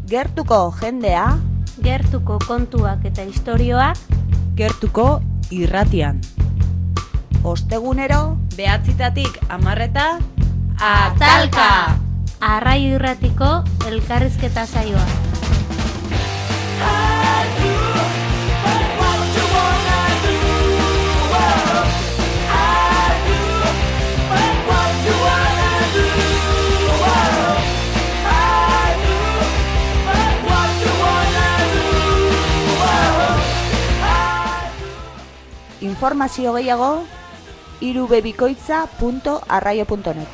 Gertuko jendea, gertuko kontuak eta istorioak, gertuko irratian. ostegunero, 9:00 10:00 Atalka! Arraio Irratiko elkarrizketa saioa. informazio gehiago, irubebikoitza.arraio.net.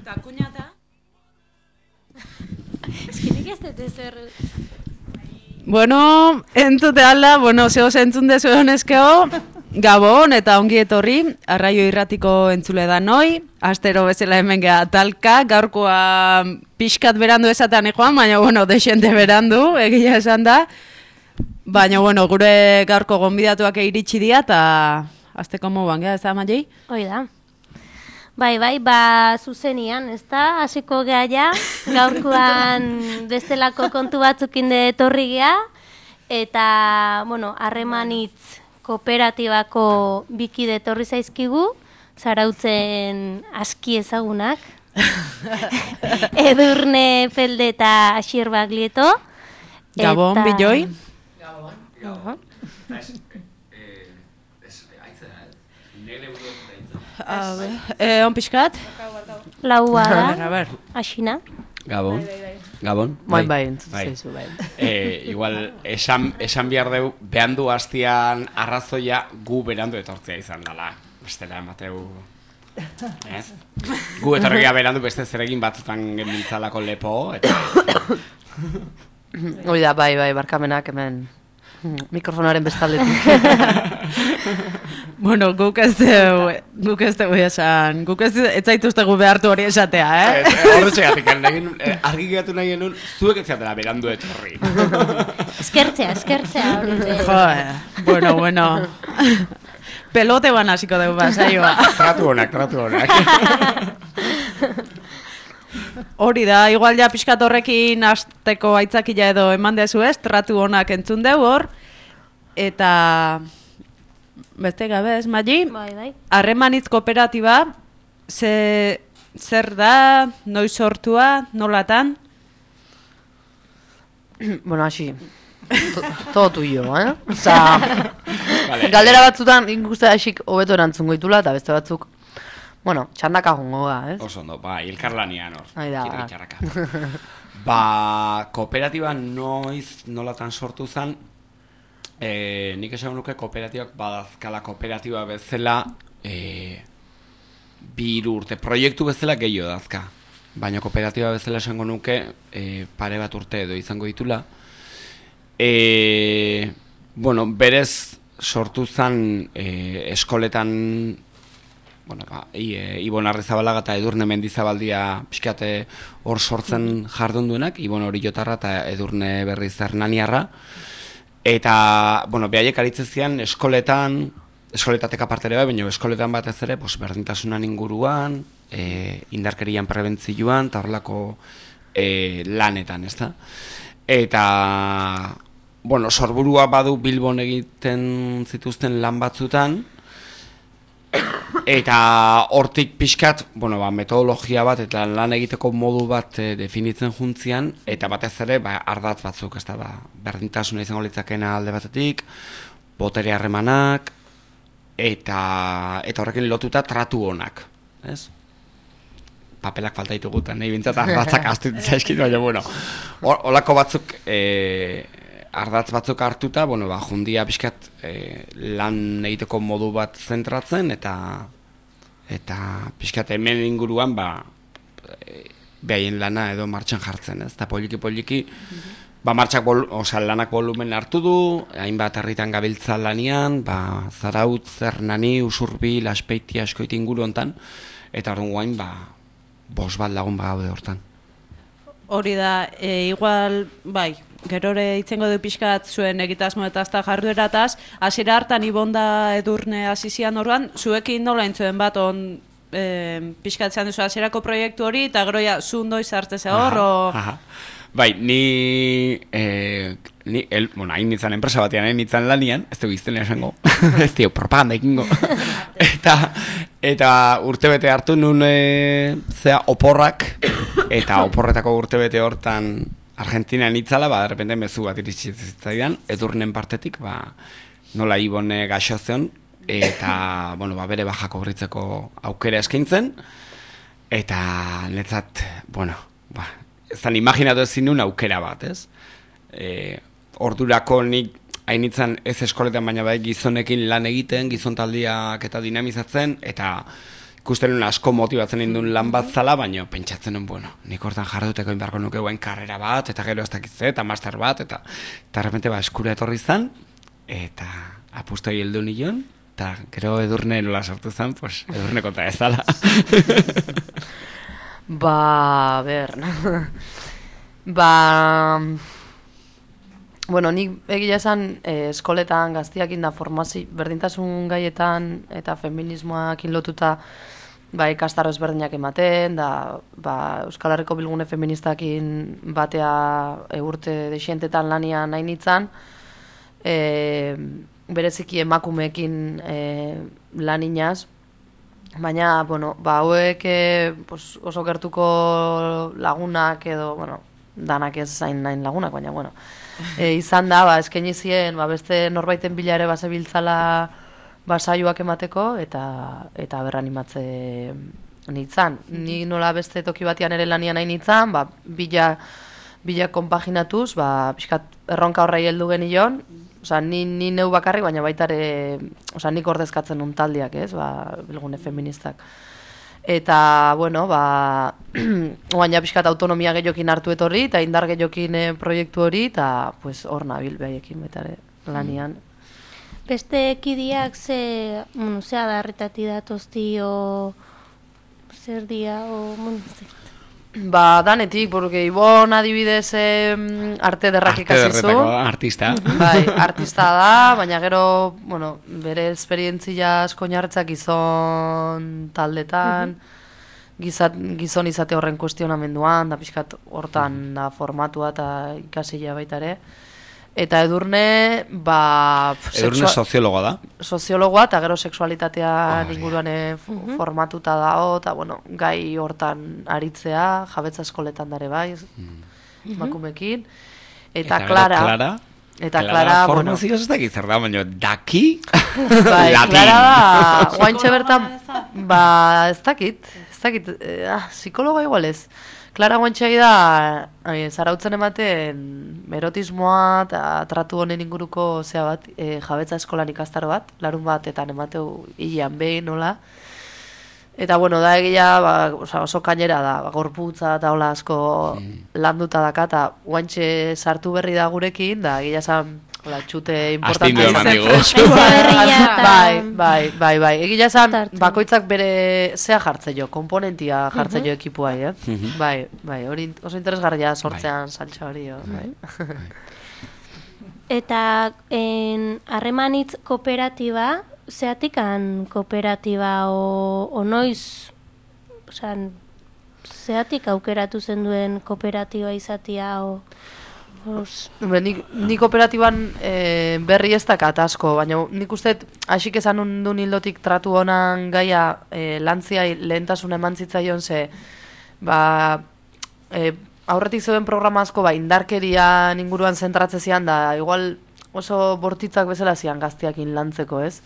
Eta kuñata? Eskinik ez dut ezer... Bueno, entzute alda, zeo zentzun dezu honezkeo, Gabon eta ongi etorri, Arraio Irratiko entzule da noi, astero bezala hemen geha Atalka, gaurkoa pixkat berandu esatean joan, baina desente berandu, egia esan da, baina gure gaurko gonbidatuak iritsi dira, eta azteko moban geha, ez da, Maiei? Hoi da. Bai, zuzenian, ez da, hasiko geha ja, gaurkoan bestelako kontu batzukin etorri geha, eta, harremanitz kooperatibako bikide etorri zaizkigu, Zarautzen aski ezagunak, Edurne Felde eta Asier Baglieto. Gabon, Biloi. Gabon. On pixkat? Laua da, asina. Gabon. Gabon. Bai, entzutzezu, bai. Igual, esan behar dugu, behandu hastian arrazoia gu berandu etortzea izan dela. Bestela, Mateu... Ez? Gu etorria berandu beste zeregin batzutan genbiltzalako lepo, eta... Hoi da, bai, barkamenak hemen mikrofonaren bestaldetik. Guk ez dugu esan, guk ez zaituztegu behartu hori esatea, Horretxegatik, argi geratu nahi genuen, zuek ez zatela berandu etorri. Eskertzea. Bueno. Pelote ban hasiko dugu saioa. Tratu honak. Hori da, igual ja pixkat horrekin hasteko aitzakila edo eman dezu ez, tratu honak entzun dugu hor, eta beste gabe ez, Magi? Bai. Harremanitz kooperatiba, zer da, noiz sortua, nolatan? Hasi, todo tuyo, Osa, galdera batzutan ikuste hasik hobeto erantzun goitula, eta beste batzuk, txandaka jongo da, ez? Oso ondo, ilkarlanian hor. Aida. Kooperatiba nolatan sortu zen, nik esan nuke kooperatibak badazkala kooperatiba bezala 2 urte, proiektu bezala gehiago dazka. Baina kooperatiba bezala esango nuke pare bat urte edo izango ditula. Berez sortu zen eskoletan, Ibon Arrizabalaga eta Edurne Mendizabaldia pixkate hor sortzen jardun duenak, Ibon Orillotarra eta Edurne Berriz Hernaniarra. Eta, behaiek aritzezian eskoletateka partere baina eskoletan batez ere, berdintasunan inguruan, indarkerian prebentzioan, eta horrelako lanetan, ez da? Eta, sorburua badu Bilbon egiten zituzten lan batzutan, eta hortik pixkat, metodologia bat eta lan egiteko modu bat definitzen juntzian, eta batez ere, ardatz batzuk, ez da, berdintasuna izango litzakena alde batetik, botere harremanak, eta horrekin lotuta tratu honak, ez? Papelak falta ditugutan, nahi bintzat ardatzak astutu zaizkit, baina, holako batzuk, ardatz batzuk hartuta, jundia pixkat lan egiteko modu bat zentratzen, eta pixkat hemen inguruan, behaien lana edo martxan jartzen, ez? Eta poliki, lanak volumen hartu du, hainbat herritan gabiltza lanian, Zarautz, Zernani, Usurbil, Azpeiti, Askoiti inguru hontan, eta orduan guain, 5 bat lagun gaude hortan. Hori da, igual, gerore itzengo du pixkat zuen egitasmo eta azta jarduerataz, hasiera hartan Ibonda Edurne hasizian orduan, zuekin nola entzuen bat pixkat zean duzu hasierako proiektu hori, eta gero ja, zu noiz hartzea hor, Bai, ni hain nintzen enpresa batean, nintzen lanian, ez dugu izten esango, ez dugu propaganda ekingo, eta urtebete hartu nun oporrak, eta oporretako urtebete hortan Argentina nitzala, de repente mezu bat iritsitzaidan, Edurnen partetik, nola Ibone gaixozion, eta, bere bajako berritzeko aukera eskaintzen, eta netzat, ezan imaginatu ezin nuen aukera bat, ez? Ordurako nik hainitzen ez eskoletan baina gizonekin lan egiten, gizontaldiak eta dinamizatzen, eta ikusten nuen asko motibatzen ninduen lan bat zala, baina pentsatzen nuen, nik hortan jarduteko inbarko nuke guen karrera bat, eta gero ez dakitze, eta master bat, eta repente eskura etorri zen, eta apustoi heldu nion, eta gero Edurne nola sortu zen, Edurne konta ez zala. Nik egia esan eskoletan gaztiakin da formazio berdintasun gaietan eta feminismoakin lotuta ikastaro ezberdinak ematen, da Euskal Herriko Bilgune Feministakin batea urte desientetan lanian nahi nintzen, bereziki emakumeekin laninaz, baina, hauek oso gertuko lagunak edo, danak ez zain nahin lagunak, baina, izan da, eskaini zien, beste norbaiten bila ere bazebiltzala saioak emateko, eta berranimatze nintzen. Ni nola beste toki batian ere lanian nahi nintzen, bila konpaginatuz, pixkat erronka horrei heldu genion, ni neu bakarrik, baina baita ere, nik ordezkatzen nun taldiak, ez, Bilgune Feministak. Eta, baina pixkat autonomia gehiokin hartu etorri, eta indar gehiokin proiektu hori, eta hor nabil behaiekin baita ere lanian. Beste ekidiak ze adarretati datozti, zer dia, danetik, porque Ibon adibidez arte derrak ikasizu. Artista. Artista da, baina gero, bere esperientzia asko oinarritzak gizon taldetan, gizon izate horren kuestionamenduan, da pixkat hortan da formatua eta ikasila baita ere. Eta Edurne, Edurne soziologoa da. Soziologoa, eta gero sexualitatea inguruan formatuta dago, eta gai hortan aritzea, jabetza eskoletan dare bai, emakumekin. Eta Clara. Eta Clara, formazioz ez dakit zer da, baina daki? Latin. Clara da, guaintxe bertan, ez dakit, psikologa igual ez. Clara guantxai da, zarautzen ematen erotismoa eta tratu honen inguruko jabetza eskolan ikastaro bat, larun batetan emateu hilean behin, nola. Eta, da egia oso kainera da, gorputza eta hola asko landuta daka, eta guantxe sartu berri da gurekin, da egia esan txute importantea. Astindu eman digu. Bai. Egia esan, bakoitzak bere zea jartze jo, komponentia jartze jo ekipuai, Bai, hori oso interesgarria sortzean saltza hori, Eta harremanitz kooperatiba, zeatikan kooperatiba o noiz, zeatik aukeratu zen duen kooperatiba izatia, Ni kooperatiban berri ez dakat asko, baina nik uste hasik esan duen hildotik tratu honan gaia lantzia lehentasun eman zitzaion ze aurretik zeuden programa asko indarkerian inguruan zentratze zian da igual oso bortitzak bezala zian gaztiakin lantzeko, ez?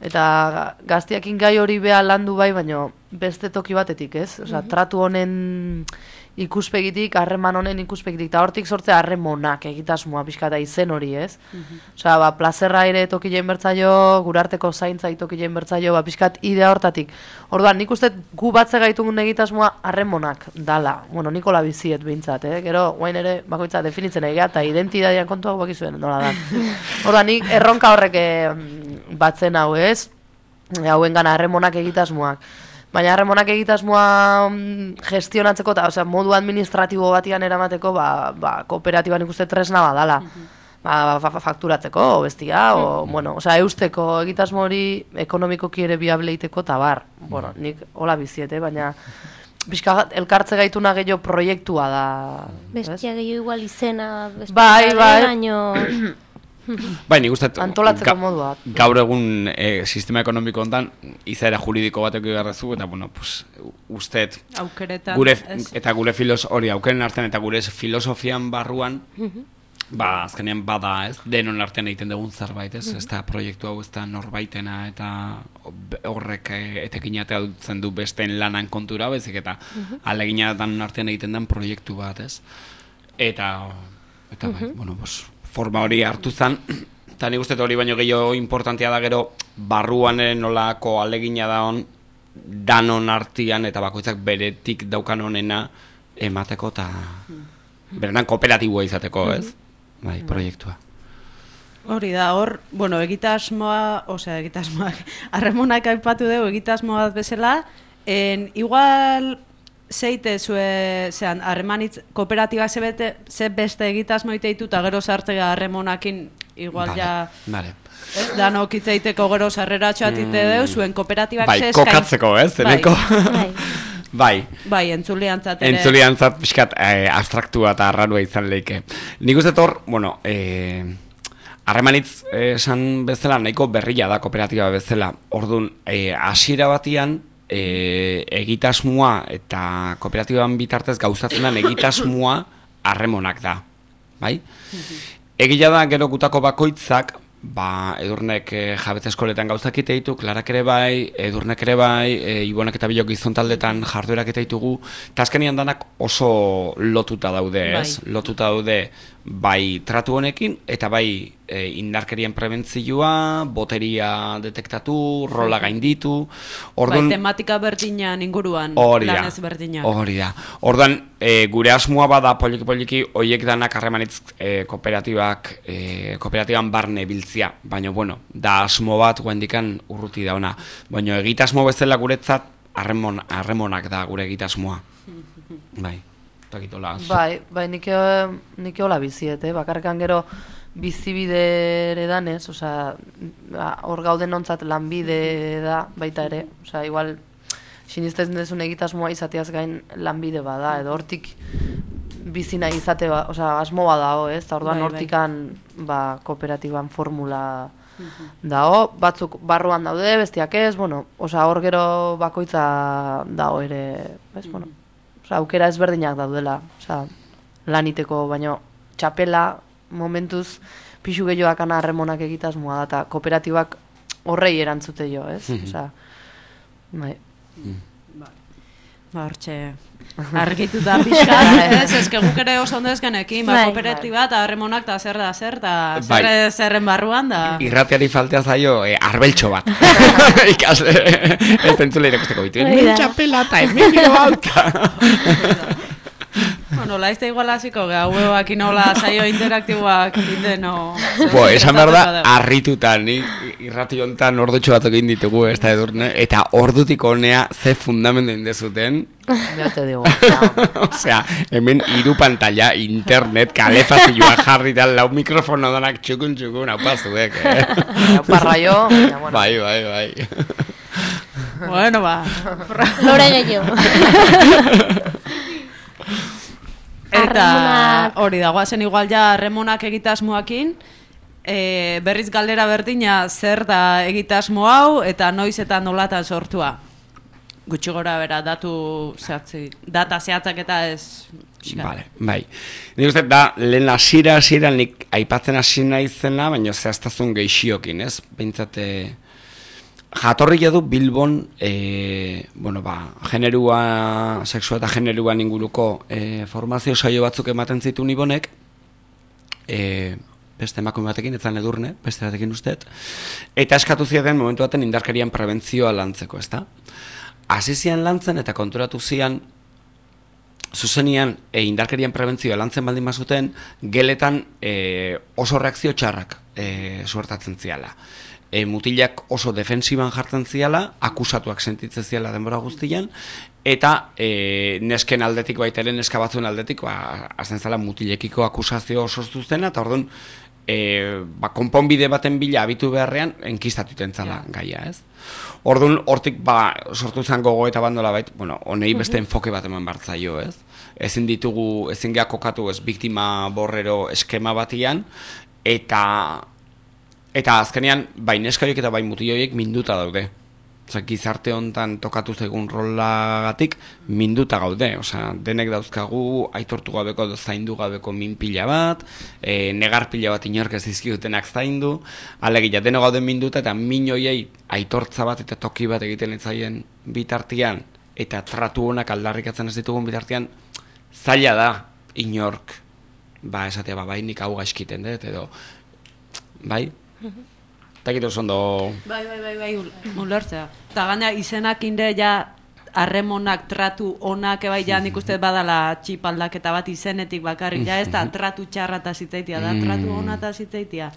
Eta gaztiakin gai hori beha landu bai, baina beste toki batetik, ez? Osea, tratu honen ikuspegitik, harreman honen ikuspegitik, eta hortik sortzea harremonak egitasmoa pixka eta izen hori, ez? Osea, plazerra ere tokilein bertzaio, gurarteko zaintza tokilein bertzaio, pixkat idea hortatik. Orduan, nik uste gu batze gaitugun egitasmoa harremonak dala. Bueno, nikola biziet behintzat, Gero, guain ere, bakoitza definitzen egea, eta identidadian kontuak bakizuen, nola da. Orduan, nik erronka horrek batzen hau, ez? Hauen gana harremonak egitasmoak. Baina harremonak egitasmoa gestionatzeko eta modu administratibo batian eramateko kooperatiban ikuste tresna badala. Fakturatzeko, bestia, eusteko egitasmo hori ekonomikoki ere biableiteko eta bar. Bueno, nik hola biziete, baina pixka elkartze gaituna gehiago proiektua da. Bestia gehiago igual izena, bai. Baino... Bai, nik uste antolatzeko modua. Gaur egun sistema ekonomiko hontan izaera juridiko bateko igarrezu, eta bueno, usteet gure aukeren artean eta gure filosofian barruan, azkenean bada, ez, denon artean egiten dugun zerbait, ez da proiektu hau, ez da norbaitena, eta horrek etekinatea dutzen du besteen lanan kontura, bezik, eta alegina denon artean egiten den proiektu bat, ez? Eta bai, bueno, forma hori hartu zen, eta nik uste hori baino gehiago importantea da gero barruan nolako alegina da hon danon artian eta bakoitzak beretik daukan honena emateko eta berenan kooperatiboa izateko, ez? Bai, proiektua. Hori da, egitasmoa, harremonak aipatu dugu egitasmoa bezala, igual... Zeite zean, harremanitz kooperatibak ze beste egitasmo ite ditu eta gero sartzea harremonakin igual vale. Ez, danok itzeiteko gero sarreratxoa tite deu, zuen kooperatibak ze eskain... Bai, kokatzeko, ez, zeneko? Bai, entzuliantzat ere. Entzuliantzat pixkat abstraktua eta arrarua izan leike. Nik uste harremanitz esan bezala nahiko berria da kooperatiba bezala. Orduan, hasiera batian, egitasmoa eta kooperatiban bitartez gauzatzen den egitasmoa harremonak da, bai? Egia da gero gutako bakoitzak, edurnek jabetza eskoletan gauzak ite ditu, Klarak ere bai, edurnek ere bai, Ibonek eta Bilok gizon taldetan jarduerak ite ditugu, eta azkenian danak oso lotuta daude, ez? Lotuta daude bai tratu honekin, eta bai indarkerien prebentzioa, boteria detektatu, rola gainditu. Bai, tematika berdinan inguruan, lan ez berdinak. Hori da. Orduan, gure asmoa bada poliki-poliki, oiek danak harremanitz kooperatiban barne biltzia. Baina, da asmo bat guendikan urruti dauna. Baina egitasmo bezala guretzat harremonak da gure egitasmoa. Bai. Bai, nik hola biziet, bakarrekan gero bizibide danez, hor gauden ontzat lanbide da baita ere, igual sinisten dezun egitasmoa izateaz gain lanbide bada, edo hortik bizina izate, asmo badago, ez, eta orduan hortikan kooperatiban formula dago, batzuk barruan daude, bestiak ez, hor gero bakoitza dago ere, ez, aukera ezberdinak daudela, laniteko, baino txapela momentuz pixu gehiagoakan harremonak egitasmoa da, eta kooperatibak horrei erantzute jo, ez? Bai. Hortxe, argituta pixka, ez que guk ere oso ondo ezkenekin, kooperatiba eta harremonak eta zer da zer, eta zerren barruan da... Irratiari faltea zaio arbeltxo bat. Ikasle, ez entzule irakusteko bitu. Txapela eta emilio bauta. Nola izte igual hasiko, gaueak inola saio interaktiboak indeno... Esan behar da, harrituta, ni irrati honetan ordutxo batzuk egin ditugu, ez da edurne, eta ordutik honea ze fundamendu indezuten. Ya te digo. Osea, hemen 3 pantalla, internet, kalefazioa jarri da, lau mikrofono danak txukun, hau pazuek, Parraio, bai. Bueno, Lore gehiago. Eta hori da, guazen igual ja harremonak egitasmoakin, berriz galdera berdina zer da egitasmo hau eta noiz eta nolatan sortua. Gutxi gora bera, data zehatzak eta ez... Bai. Nik uste da, lehen hasiera nik aipatzen hasi nahi zena, baina zehaztazun gehixiokin, ez? Behintzate... Jatorria du Bilbon, generua, sexua eta generuan inguruko formazio saio batzuk ematen zituen Ibonek, beste emakume batekin, etzan edurne, beste batekin usteet, eta eskatu zieten momentu baten indarkerian prebentzioa lantzeko, ezta? Hasi zian lantzen eta konturatu zian, zuzenian indarkerian prebentzioa lantzen baldin bazuten, geletan oso reakzio txarrak suertatzen ziala. Mutilak oso defensiban jartzen ziala, akusatuak sentitzen ziala denbora guztian, eta nesken aldetik baita ere, neska batzuen aldetik, azten zela mutilekiko akusazio oso zuzena, eta orduan, konponbide baten bila abitu beharrean, enkistatuten zala gaia, ez? Orduan, hortik sortu zen gogo eta bandola bait, honei beste enfoke bat eman bartzaio, ez? Ezin geha kokatu ez biktima borrero eskema batian, eta azkenean, bai neskaiek eta bai mutilioiek minduta daude. Gizarte hontan tokatu zaigun rolagatik minduta gaude. Denek dauzkagu aitortu gabeko edo zaindu gabeko min pila bat, negar pila bat inork ez dizkigutenak zaindu, alegia denok gauden minduta eta min hoiei aitortza bat eta toki bat egiten etzaien bitartean eta tratu honak aldarrikatzen ez ditugun bitartean, zaila da inork esatea bai nik hau gaizkiten dut edo bai? Eta gitu zondo... Bai, ulertzea. Eta gaina izenak inde ja harremonak tratu onak bai ja nik uste badala txipaldaketa bat izenetik bakarrik ja ez da tratu txarra eta zitzaitia da, tratu ona eta zitzaitia.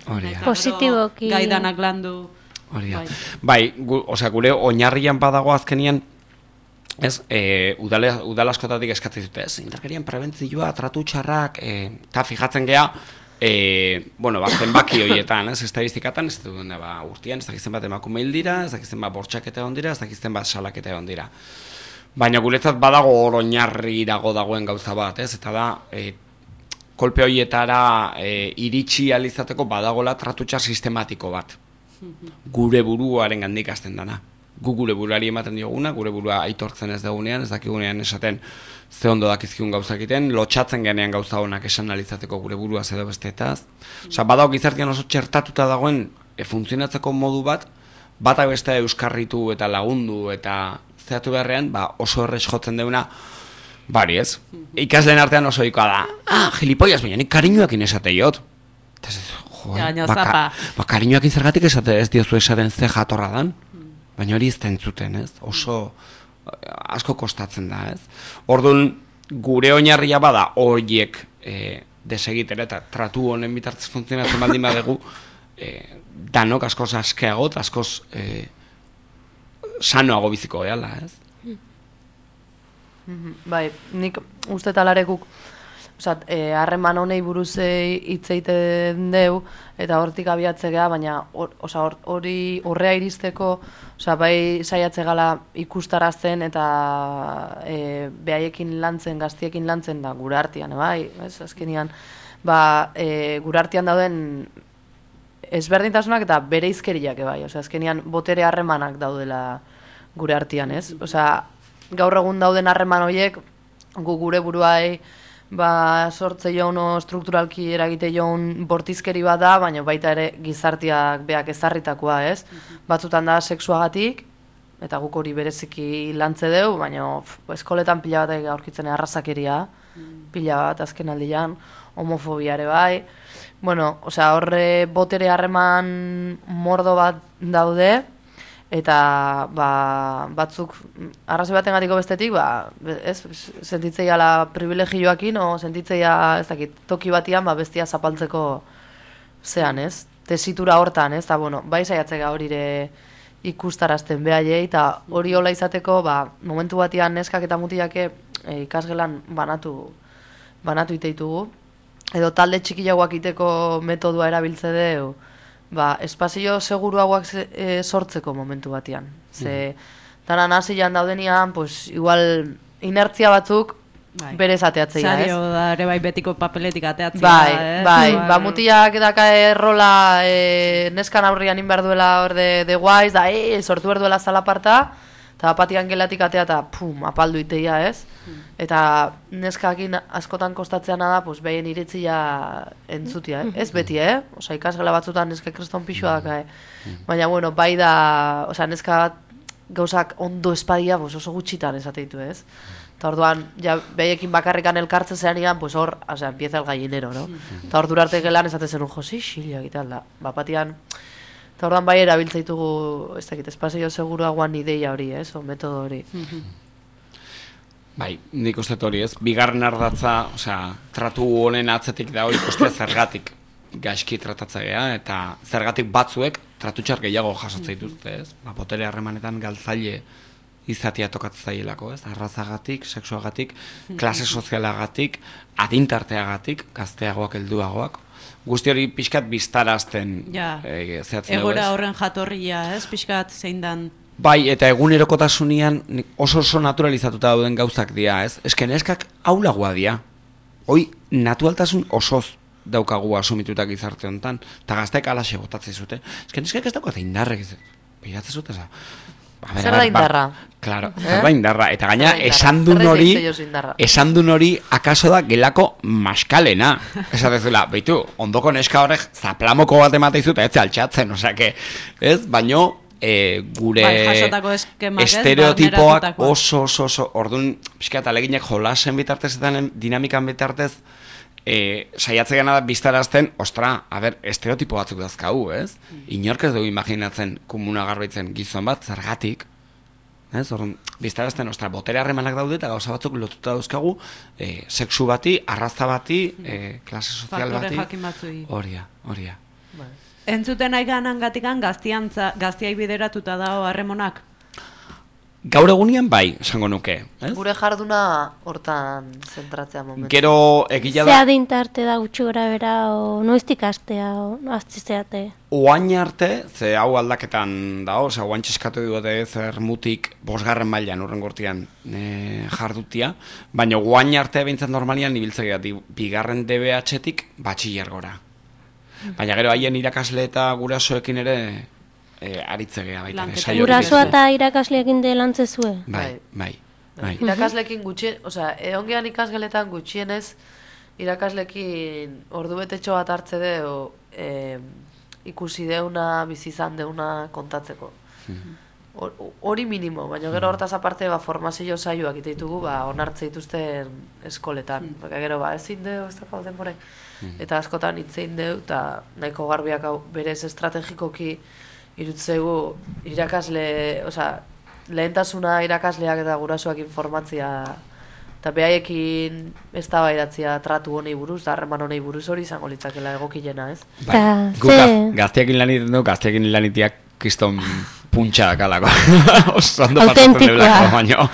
Positiboki. Gaidanak landu. Bai, gure oinarrian badago azkenian ez, udal askotatik eskatzen dute, ez, indarkerian prebentzioa, tratu txarrak, eta fijatzen geha, zenbaki horietan, ez, estadistikatan, ez dut urtean, ez dakizten bat emakume hil dira, ez dakizten bat bortxaketa egon dira, ez dakizten bat salaketa egon dira. Baina guretzat badago hor oinarri irago dagoen gauza bat, ez, eta da, kolpe horietara iritsi alizateko badagola tratutxar sistematiko bat. Gure buruaren gandik hasten dana. Gu gure buruari ematen dioguna, gure burua aitortzen ez dagunean, ez dakigunean esaten ze ondo dakizkigun gauza egiten, lotxatzen genean gauza honak esan analizateko gure burua edo besteetaz. Badago gizartean oso txertatuta dagoen funtzionatzeko modu bat, batak beste euskarritu eta lagundu eta zeatu beharrean, oso errez jotzen deuna, bari ez. Ikasleen artean oso ikoa da, gilipoiaz, baina nik kariñoakin esateiot. Kariñoakin zergatik esate ez diozu esaten ze jatorra dan. Baina hori ez da entzuten, ez? Oso asko kostatzen da, ez? Orduan, gure oinarria bada horiek desegitera eta tratu honen bitartez funtzionatzen baldin badegu, danok askoz askeago eta askoz sanoago biziko gehala, ez? Bai, nik uste talarekuk harreman honei buruz hitz egiten deu eta hortik abiatzea, baina horrea iristeko bai saiatze gala ikustarazten eta behaiekin lantzen, gaztiekin lantzen da gure artean, bai, azkenean gure artean dauden ezberdintasunak eta bere izkeriak, bai, azkenean botere harremanak daudela gure artean, ez? Gaur egun dauden harreman horiek gure buruai sortze joan strukturalki eragite joan bortizkeri bat da, baina baita ere gizartiak beak ezarritakoa, ez? Batzutan da sexuagatik, eta guk hori bereziki lantze deu, baina eskoletan pila bat aurkitzen arrazakeria, pila bat azken aldian, homofobiare bai. Horre botere harreman mordo bat daude, eta batzuk arrazoi baten gatiko bestetik sentitzea privilegioakin o sentitzea ez dakit toki batian bestia zapaltzeko zean, ez? Tesitura hortan, ez? Bai saiatzea horire ikustarazten behaiei eta hori hola izateko momentu batian neskak eta mutilake ikasgelan banatu iteitugu edo talde txikiagoak iteko metodua erabiltze deu espazio seguruagoak sortzeko momentu batean. Ze, danan hasian daudenian, igual inertzia batzuk berez ateatzea, ez? Zario da, ere bai betiko papeletik ateatzea. Bai, mutilak daka errola neskan aurrian inbar duela hor de guaiz, da, sortu berduela zalaparta, eta batian gelatik atea eta apaldu iteia, ez? Eta neskakin askotan kostatzeana da, behien iritzia entzutia, ez beti, ikasgela batzutan neska kriston pixua daka, baina, bai da, neska gauzak ondo espadia, pues oso gutxitan esateitu, ez? Eta orduan, ja, behaiekin bakarrikan elkartzen zean pues hor, o sea, empieza el gallinero, no? Eta ordu arte gelan esate zen un josi, xila, gital da. Bapatian, eta orduan bai erabiltzaitugu, ez dakit, espazio seguruagoan ideia hori, ez? O metodo hori. Bai, nik uste hori ez, bigarren ardatza, osea, tratu honen atzetik da hori ikustea zergatik gaizki tratatzea eta zergatik batzuek tratutxar gehiago jasotzen dituzte, ez? Ba, botere harremanetan galtzaile izatea tokatzen zaielako, ez? Arrazagatik, sexuagatik, klase sozialagatik, adintarteagatik, gazteagoak, helduagoak. Guzti hori pixkat biztarazten zehatzen dugu, Egora horren jatorria, ez? Pixkat zein dan. Bai, eta egunerokotasunean oso naturalizatuta dauden gauzak dira, ez? Eske neskak aulagoa dira. Hoi, naturaltasun osoz daukagu asumitutak gizarte honetan, eta gazteek alaxe botatzen zute. Eske neskak ez daukate indarrek, biratzen zute, zer da indarra? Claro, zer da indarra. Eta gaina, esan dun hori akaso da gelako maskalena. Esatezula, beitu, ondoko neska horrek zaplamoko bat emateizut, ez altxatzen, osea, ez? Baino, gure estereotipoak oso, orduan, pixka eta leginek jolasen bitartez eta dinamikan bitartez, saiatzea da biztarazten, ostra, estereotipo batzuk dazkau, ez? Inork ez dugu imaginatzen komuna garbaitzen gizon bat, zergatik, ez? Orduan, biztarazten, ostra, botere harremanak daude eta gauza batzuk lotuta dauzkagu, sexu bati, arraza bati, klase sozial bati, horia. Entzuten aiganan gatikan gaztiai bideratuta dago harremonak? Gaur egunian bai, esango nuke. Gure jarduna hortan zentratzea momentu. Gero egila da... Zea dintarte da gutxi gora bera, o noiztik astea, o aztizteate? Oain arte, ze hau aldaketan da, osea, oain txeskatu dute zer mutik 5. mailan urren gortian jardutia, baina oain arte behintzen normalian ibiltzea 2. DBH-tik batxiller gora. Baina gero haien irakasle eta gurasoekin ere aritzegea baita. Gurasoa eta irakasleekin de lantzezue? Bai. Irakasleekin gutxien, osea, ongean ikasgeletan gutxienez, irakasleekin ordu betetxo bat hartze deu ikusi deuna, bizizan deuna kontatzeko. Hori minimo, baina gero hortaz aparte formazio saioak iteitugu onartze dituzten eskoletan. Gero ezin deu, ez dakau denborek. Eta askotan hitzein deu, eta nahiko garbiak berez estrategikoki irutzegu irakasle, osea, lehentasuna irakasleak eta gurasoak informatzia eta behaiekin eztabaidatzea tratu honei buruz, harreman honei buruz hori izango litzakela egokilena, ez? Bai, gazteakin laniten du, gazteakin lanitiak kiston puntxa dakalako. Oso ondo pasatzen debelako, baina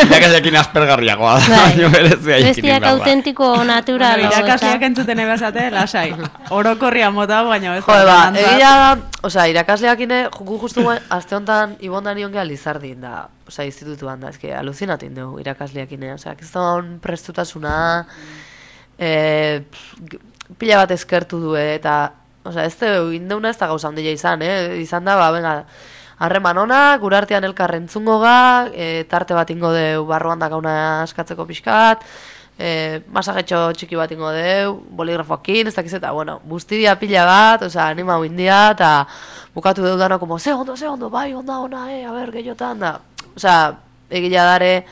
irakasleakin aspergarriagoa da, baina berezia ikin bestiak autentiko natural. Irakasleak entzuten ebazate, lasai. Orokorria mota, baina ez. Egia da, osea, irakasleakine, gu justu aste honetan ibondan ion geha Lizardin da, osea, institutuan da, ezke, aluzinatin dugu irakasleakine, osea, kiston prestutasuna, pila bat eskertu du, eta, osea, ez da, indeuna ez da gauza handia izan, izan da, venga, harreman ona, gure artean elkarrentzungo ga, tarte bat ingo deu barruan da gauna askatzeko pixkat, masagetxo txiki bat ingo deu, boligrafoakin, ez dakiz eta, bueno, bustidia pila bat, osea, anima huindia, eta bukatu deu dano, como, ze ondo, bai, onda, a ber, gehiotan, da, osea, egila dare,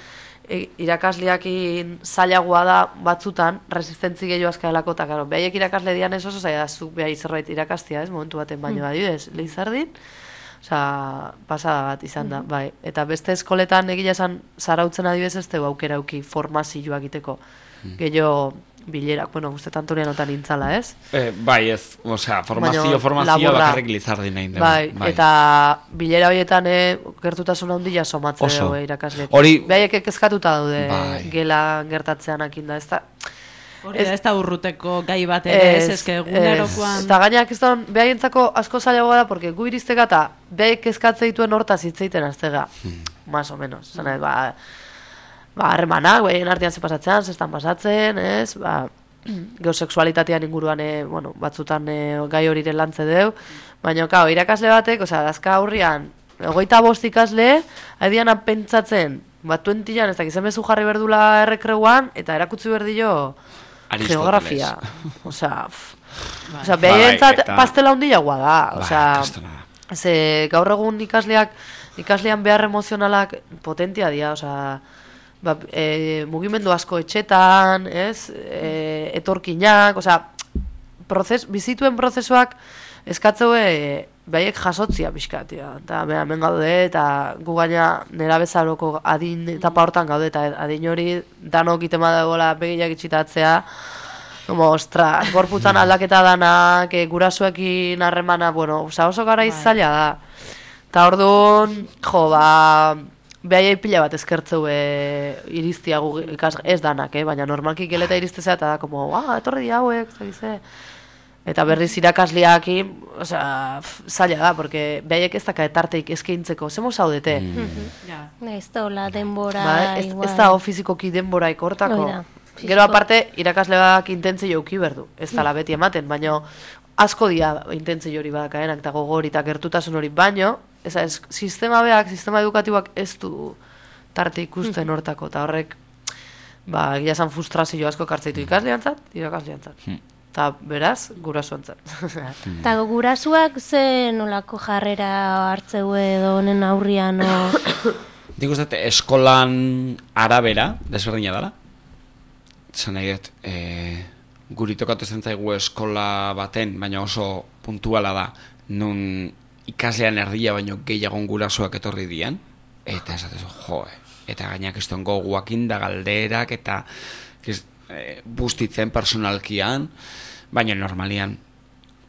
irakasleakin zailagoa da batzutan, resistentzi gehiago azkaelako, eta, karo, behaiek irakasle dian ez oso zaila, zuk behai zerbait irakastia, ez, momentu baten baino adibidez, Lizardin, osea, pasada bat izan da, bai. Eta beste eskoletan egila esan zarautzen adibidez ez dugu aukera auki formazioa egiteko. Gehiago bilerak, bueno, guztetan Antonianotan intzala, ez? Bai, ez, osea, formazioa bakarrik Lizardin nahi dugu. Bai, eta bilera horietan gertutasun handia somatzen dugu irakasleekin. Behaiek kezkatuta daude gela gertatzean akinda, ez da... Hori da, ez da urruteko gai bat ere, ez ezke egunerokoan... Eta gainak ez da, behaientzako asko zailagoa da, porque gu iristeka eta behaik kezkatze dituen hortaz hitzeiten aztega, más o menos. Zena, harremanak, behien artean pasatzean, zestan pasatzen, ez, geosexualitatean inguruan, bueno, batzutan gai hori lantze deu, baina, kao, irakasle batek, osea, dazka aurrian, 25 ikasle, haidian pentsatzen, 20an, ez dakizen bezu jarri berdula errekreuan, eta erakutsi berdillo geografia. Osea, behientzat pastela handiagoa da. Osea, gaur egun ikasleak ikaslean behar emozionalak potentia dira, osea, mugimendu asko etxetan, ez? Etorkinak, osea, bizituen prozesuak eskatzeue behaiek jasotzia pixkatia. Eta hemen gaude, eta gu gaina nera bezaroko adin etapa hortan gaude, eta adin hori danok itema dagoela begiak itxitatzea, como, ostras, gorputzan aldaketa danak, gurasoekin harremana, bueno, oso gara izaila da. Eta orduan, behaiei pila bat eskertzeu iriztia ez danak, baina normalki geleta iriztezea, eta da, como, etorri di hauek, zagize. Eta berriz irakasleakin, zaila da, porque behaiek ez daka etarteik eskaintzeko, zemo zaudete. Ez da hola denbora, ez da fizikoki denboraik hortako. Gero aparte, irakasleak intentzi jauki berdu, ez dala beti ematen, baina asko dia intentzi hori badakaenak, eta gogor eta gertutasun hori, baino, sistema edukatiboak ez du tarte ikusten hortako, eta horrek, egia esan frustrazio asko kartzaitu ikasleantzat, irakasleantzat. Eta beraz, gurasoantzat. Eta gurasuak ze nolako jarrera hartzeu edo honen aurrian? Nik uste, eskolan arabera, desberdina dela. Zan nahi dut, guri tokatu zen zaigu eskola baten, baina oso puntuala da, nun ikaslean erdia baino gehiagon gurasoak etorri dian, eta esatezu, eta gainak ez duen goguakin da galderak, eta bustitzen personalkian, baina normalian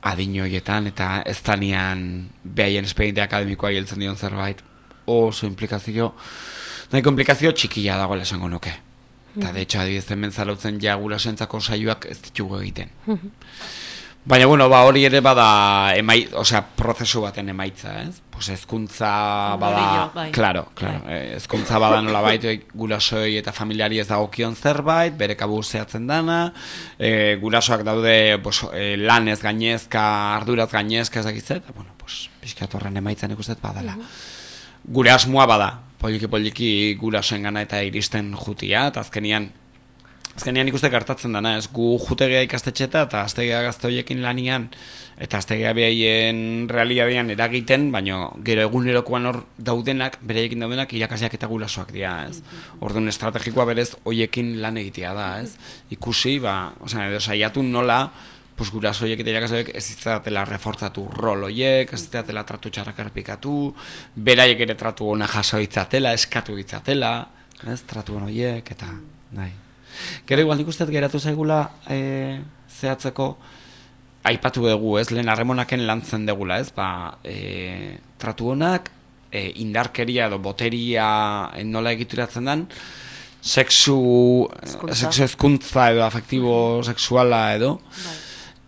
adinoietan eta ez danean behaien espediente akademikoa hiltzen dion zerbait oso implikazio txikia dagoela esango nuke. Eta de hecho adibidez hemen zalautzen ja gurasoentzako saioak ez ditugu egiten. Baina bueno, hori ere bada prozesu baten emaitza, ez? Pues hezkuntza bada, claro, hezkuntza bada nolabait gurasoei eta familiari ez dagokion zerbait, bere kabuz zehatzen dana, gurasoak daude lanez gainezka, arduraz gainezka ez dakitzet, eta bueno, pixkat horren emaitzen ikustet badala. Gure asmoa bada, poliki gurasoen gana eta iristen jutia, eta azkenian ikuste gertatzen dana, ez gu jutegea ikastetxeta eta aztegea gazte horiekin lanian eta aztegea behaien realidadean eragiten, baina gero egunerokoan hor daudenak, bereiekin daudenak irakasleak eta gurasoak dira, ez? Orduan estrategikoa berez horiekin lan egitea da, ez? Ikusi, edo saiatu nola, guraso horiek eta irakasleak ez izatela reforzatu rol horiek, ez izatela tratu txarrak errepikatu, beraiek ere tratu ona jaso itzatela, eskatu itzatela, ez? Tratu horiek eta nahi. Gero igual nik usteet geratu zaigula zehatzeko aipatu dugu, ez, lehen harremonaken lantzen degula, ez, tratu honak, indarkeria edo boteria nola egituratzen den, sexu hezkuntza edo afektibo sexuala edo,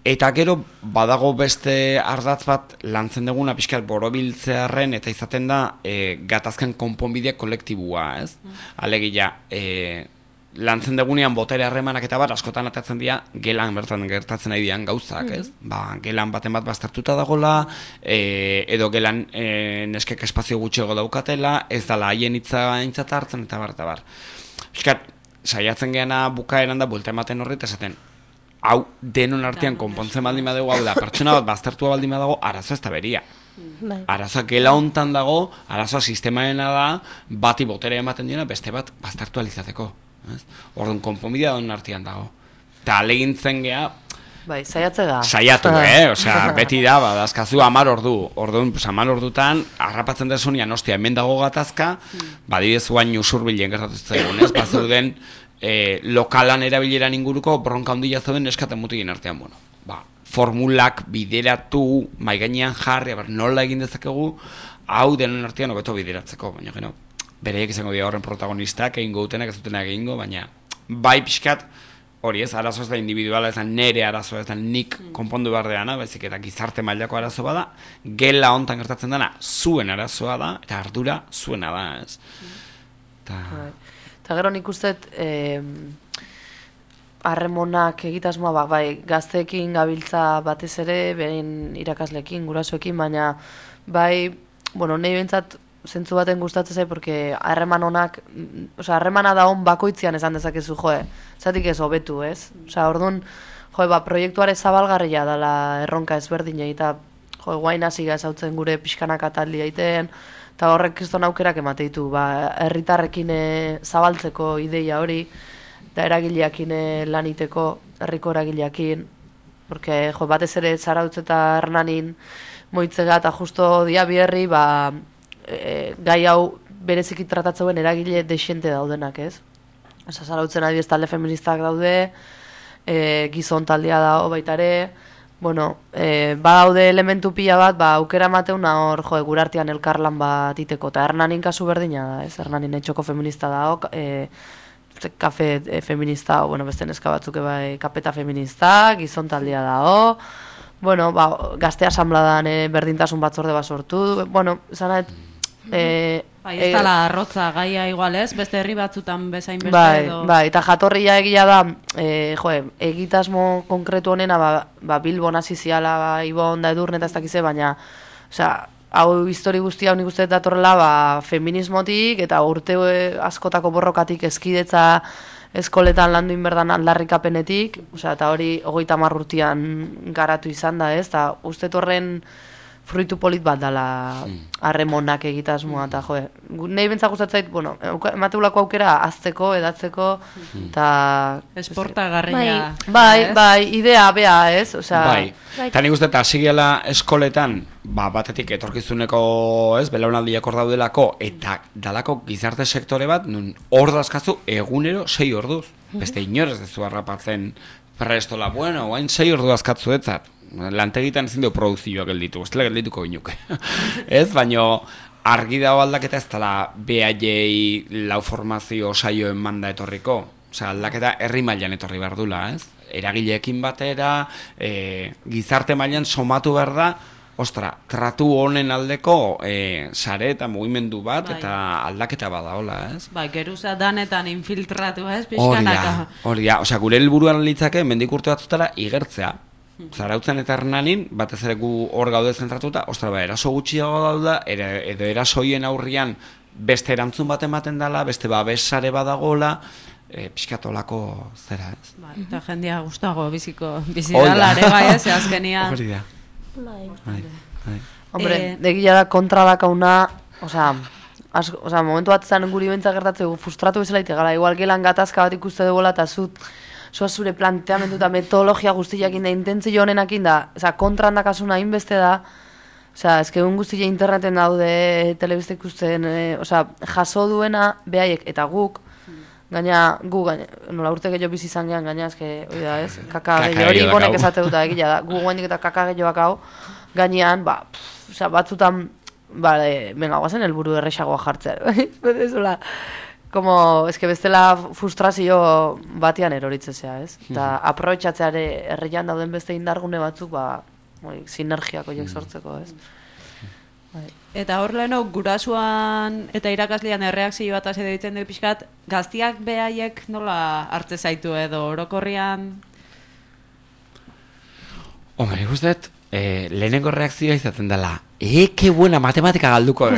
eta gero badago beste ardatz bat lantzen duguna pixkat borobiltzearren eta izaten da gatazken konponbide kolektibua, ez? Alegia, lantzen dugunean botere harremanak eta askotan atatzen dira gelan bertan gertatzen nahi dian gauzak, ez? Gelan baten bat baztertuta dagola, edo gelan neskek espazio gutxiago daukatela, ez dala haien hitza aintzat hartzen eta bar. Piskat, saiatzen geana bukaeran da buelta ematen horret, esaten, hau denon artean konpontzen baldin badugu, hau da, pertsona bat baztertua baldin badago, arazoa ez da beria. Arazoa gela hontan dago, arazoa sistemaena da, bati botere ematen diena, beste bat baztertu alizateko. Orduan, konponbidea don artean dago. Eta alegintzen geha... Saiatu, beti da, dazkazu 10 ordu. Orduan, 10 ordutan, harrapatzen desunian, ostia, hemen dago gatazka, badibidez guain usurbilen gertatu zaigun, ez? Bazeuden, lokalan erabileran inguruko bronka handia zeuden eskaten mutien artean, formulak bideratu, maigainean jarri, nola egin dezakegu, hau denon artean hobeto bideratzeko, baina gero, bereiek izango dira horren protagonistak, egingo dutenak, ez dutenak egingo, baina bai pixkat, hori ez, arazo ez da individuala, ez da nere arazo, ez da nik konpondu behar deana, baizik eta gizarte mailako arazo bada, gela hontan gertatzen dena, zuen arazoa da, eta ardura zuena da, ez? Eta gero nik usteet, harremonak egitasmoa, gazteekin gabiltza batez ere, behin irakasleekin, gurasoekin, baina nahi behintzat, zentzu baten gustatzen zai, porque harremana da hon bakoitzian esan dezakezu, zatik ez hobetu, ez? Orduan, proiektuare zabalgarria dela erronka ezberdinei, eta guain hasi gazautzen gure pixkanak ataldi egiten, eta horrek kriston aukerak emate ditu, herritarrekin zabaltzeko ideia hori, eta eragileakin laniteko, herriko eragileakin, porque batez ere Zarautz eta Hernanin moitzega eta justo dia bierri, gai hau bereziki tratatzeuen eragile desiente daudenak, ez? Zarautzen adibidez talde feministak daude, gizon taldea dago baita ere, bueno, badaude elementu pila bat, aukera mateuna hor, gure artean elkarlan bat iteko, eta Hernanin kasu berdina da, ez? Hernanin etxoko feminista dago, kafe feminista, bueno, beste neska batzuk bai, kapeta feminista, gizon taldea dago, bueno, gazte asambladan berdintasun batzorde bat sortu, bueno, zanaet, ez dala arrotza gaia igual ez, beste herri batzutan bezain beste edo... Bai, eta jatorria egia da, egitasmo konkretu honena, Bilbon hasi ziala, Ibon da Edurne eta ez dakize, baina, hau histori guztia nik uste datorrela feminismotik eta urte askotako borrokatik eskidetza eskoletan landu inberdan aldarrikapenetik, eta hori 30 urtean garatu izan da, ez? Eta uste horren fruitu polit bat dala harremonak egitasmoa, eta nahi bentzak gustatzait, bueno, emateulako aukera azteko, edatzeko, eta... Esportagarria. Bai, idea, bea, ez? Bai, eta nik uste eta hasigiela eskoletan, batetik etorkizuneko, ez, belaunaldiak hor daudelako, eta dalako gizarte sektore bat, nun hor dazkazu egunero 6 orduz. Beste inorez dezu harrapatzen prestola, bueno, guain 6 ordu azkatzu etzat. Lantegitan ezin du produzioak gelditu, ez dela geldituko ginuke. Ez, baino argi dago aldaketa ez dela BAJ lau formazio saioen manda etorriko. Osea, aldaketa herri mailan etorri behar dula, ez? Eragileekin batera, gizarte mailan somatu behar da, tratu honen aldeko sare eta mugimendu bat, eta aldaketa badaola, ez? Bai, geruza danetan infiltratu, ez? Pixkanaka. Horia, osea, gure helburuan litzake mendik urte batzutara igertzea. Zarautzen eta Hernanin, batez ere gu hor gaude zentratuta, eraso gutxiago dauda, edo erasoien aurrian beste erantzun bat ematen dela, beste babesare badagola, pixkatolako zera, ez? Eta jendia gustago bizidalare, bai, ez, azkenia. Hori da. Hombre, egia da kontra dakauna, momentu bat zen guri bentzak gertatzeko frustratu bezala ite gara, igual gelan gatazka bat ikuste dugola eta zure planteamendu eta metodologia guztiakin da, intentzio honenakin da, kontran dakasuna inbeste da, egun guztia interneten daude, telebizte ikusten, jaso duena, behaiek eta guk, gaina, nola urte gehiago bizi izan gehan, gaina, hori da, ez? Kaka gehiago, hori gonek esate dut, egila da, gu guendik eta kaka gehiagoak hau, gainean, batzutan, venga, guazen helburu errexagoa jartzea, ez? Bestela frustrazio batean eroritzezea, ez? Eta aprobetxatzeare herrian dauden beste indargune batzuk, sinergiako horiek sortzeko, ez? Eta hor leheno, gurasuan eta irakaslean erreakzio bat hasi ditzen dut pixkat, gaztiak behaiek nola hartze zaitu edo orokorrian? Hombre, guztet, lehenengo reakzioa izaten dela, que buena matematika galduko,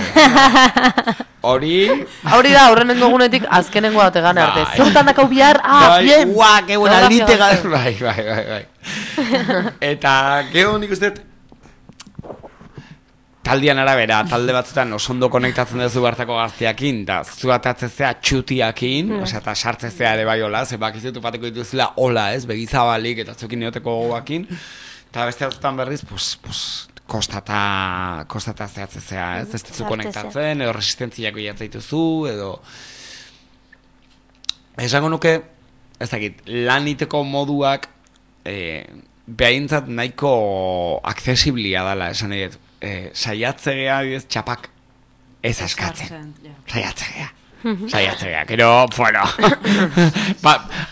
Hori da, horrenengo egunetik azkenengo dute gane arte. Zertan dakau bihar, bien! Que buena lite galdu. Bai. Eta, geho nik uste, taldean arabera, talde batzutan osondo konektatzen duzu bartako gaztiakin, da zuatatzezea txutiakin, eta sartzezea ere bai hola, zebak izutu pateko dituzela hola, ez, begizabalik eta zukin neoteko gogoakin, eta beste batzutan berriz, kostata zehatzezea, ez? Ez duzu konektatzen, edo resistentziako jatzaituzu, edo... Esango nuke, ez dakit, lan iteko moduak behaintzat nahiko aksesiblia dela, esan edo, saiatzegea, txapak ez askatzen. Saiatzegea, gero, bueno,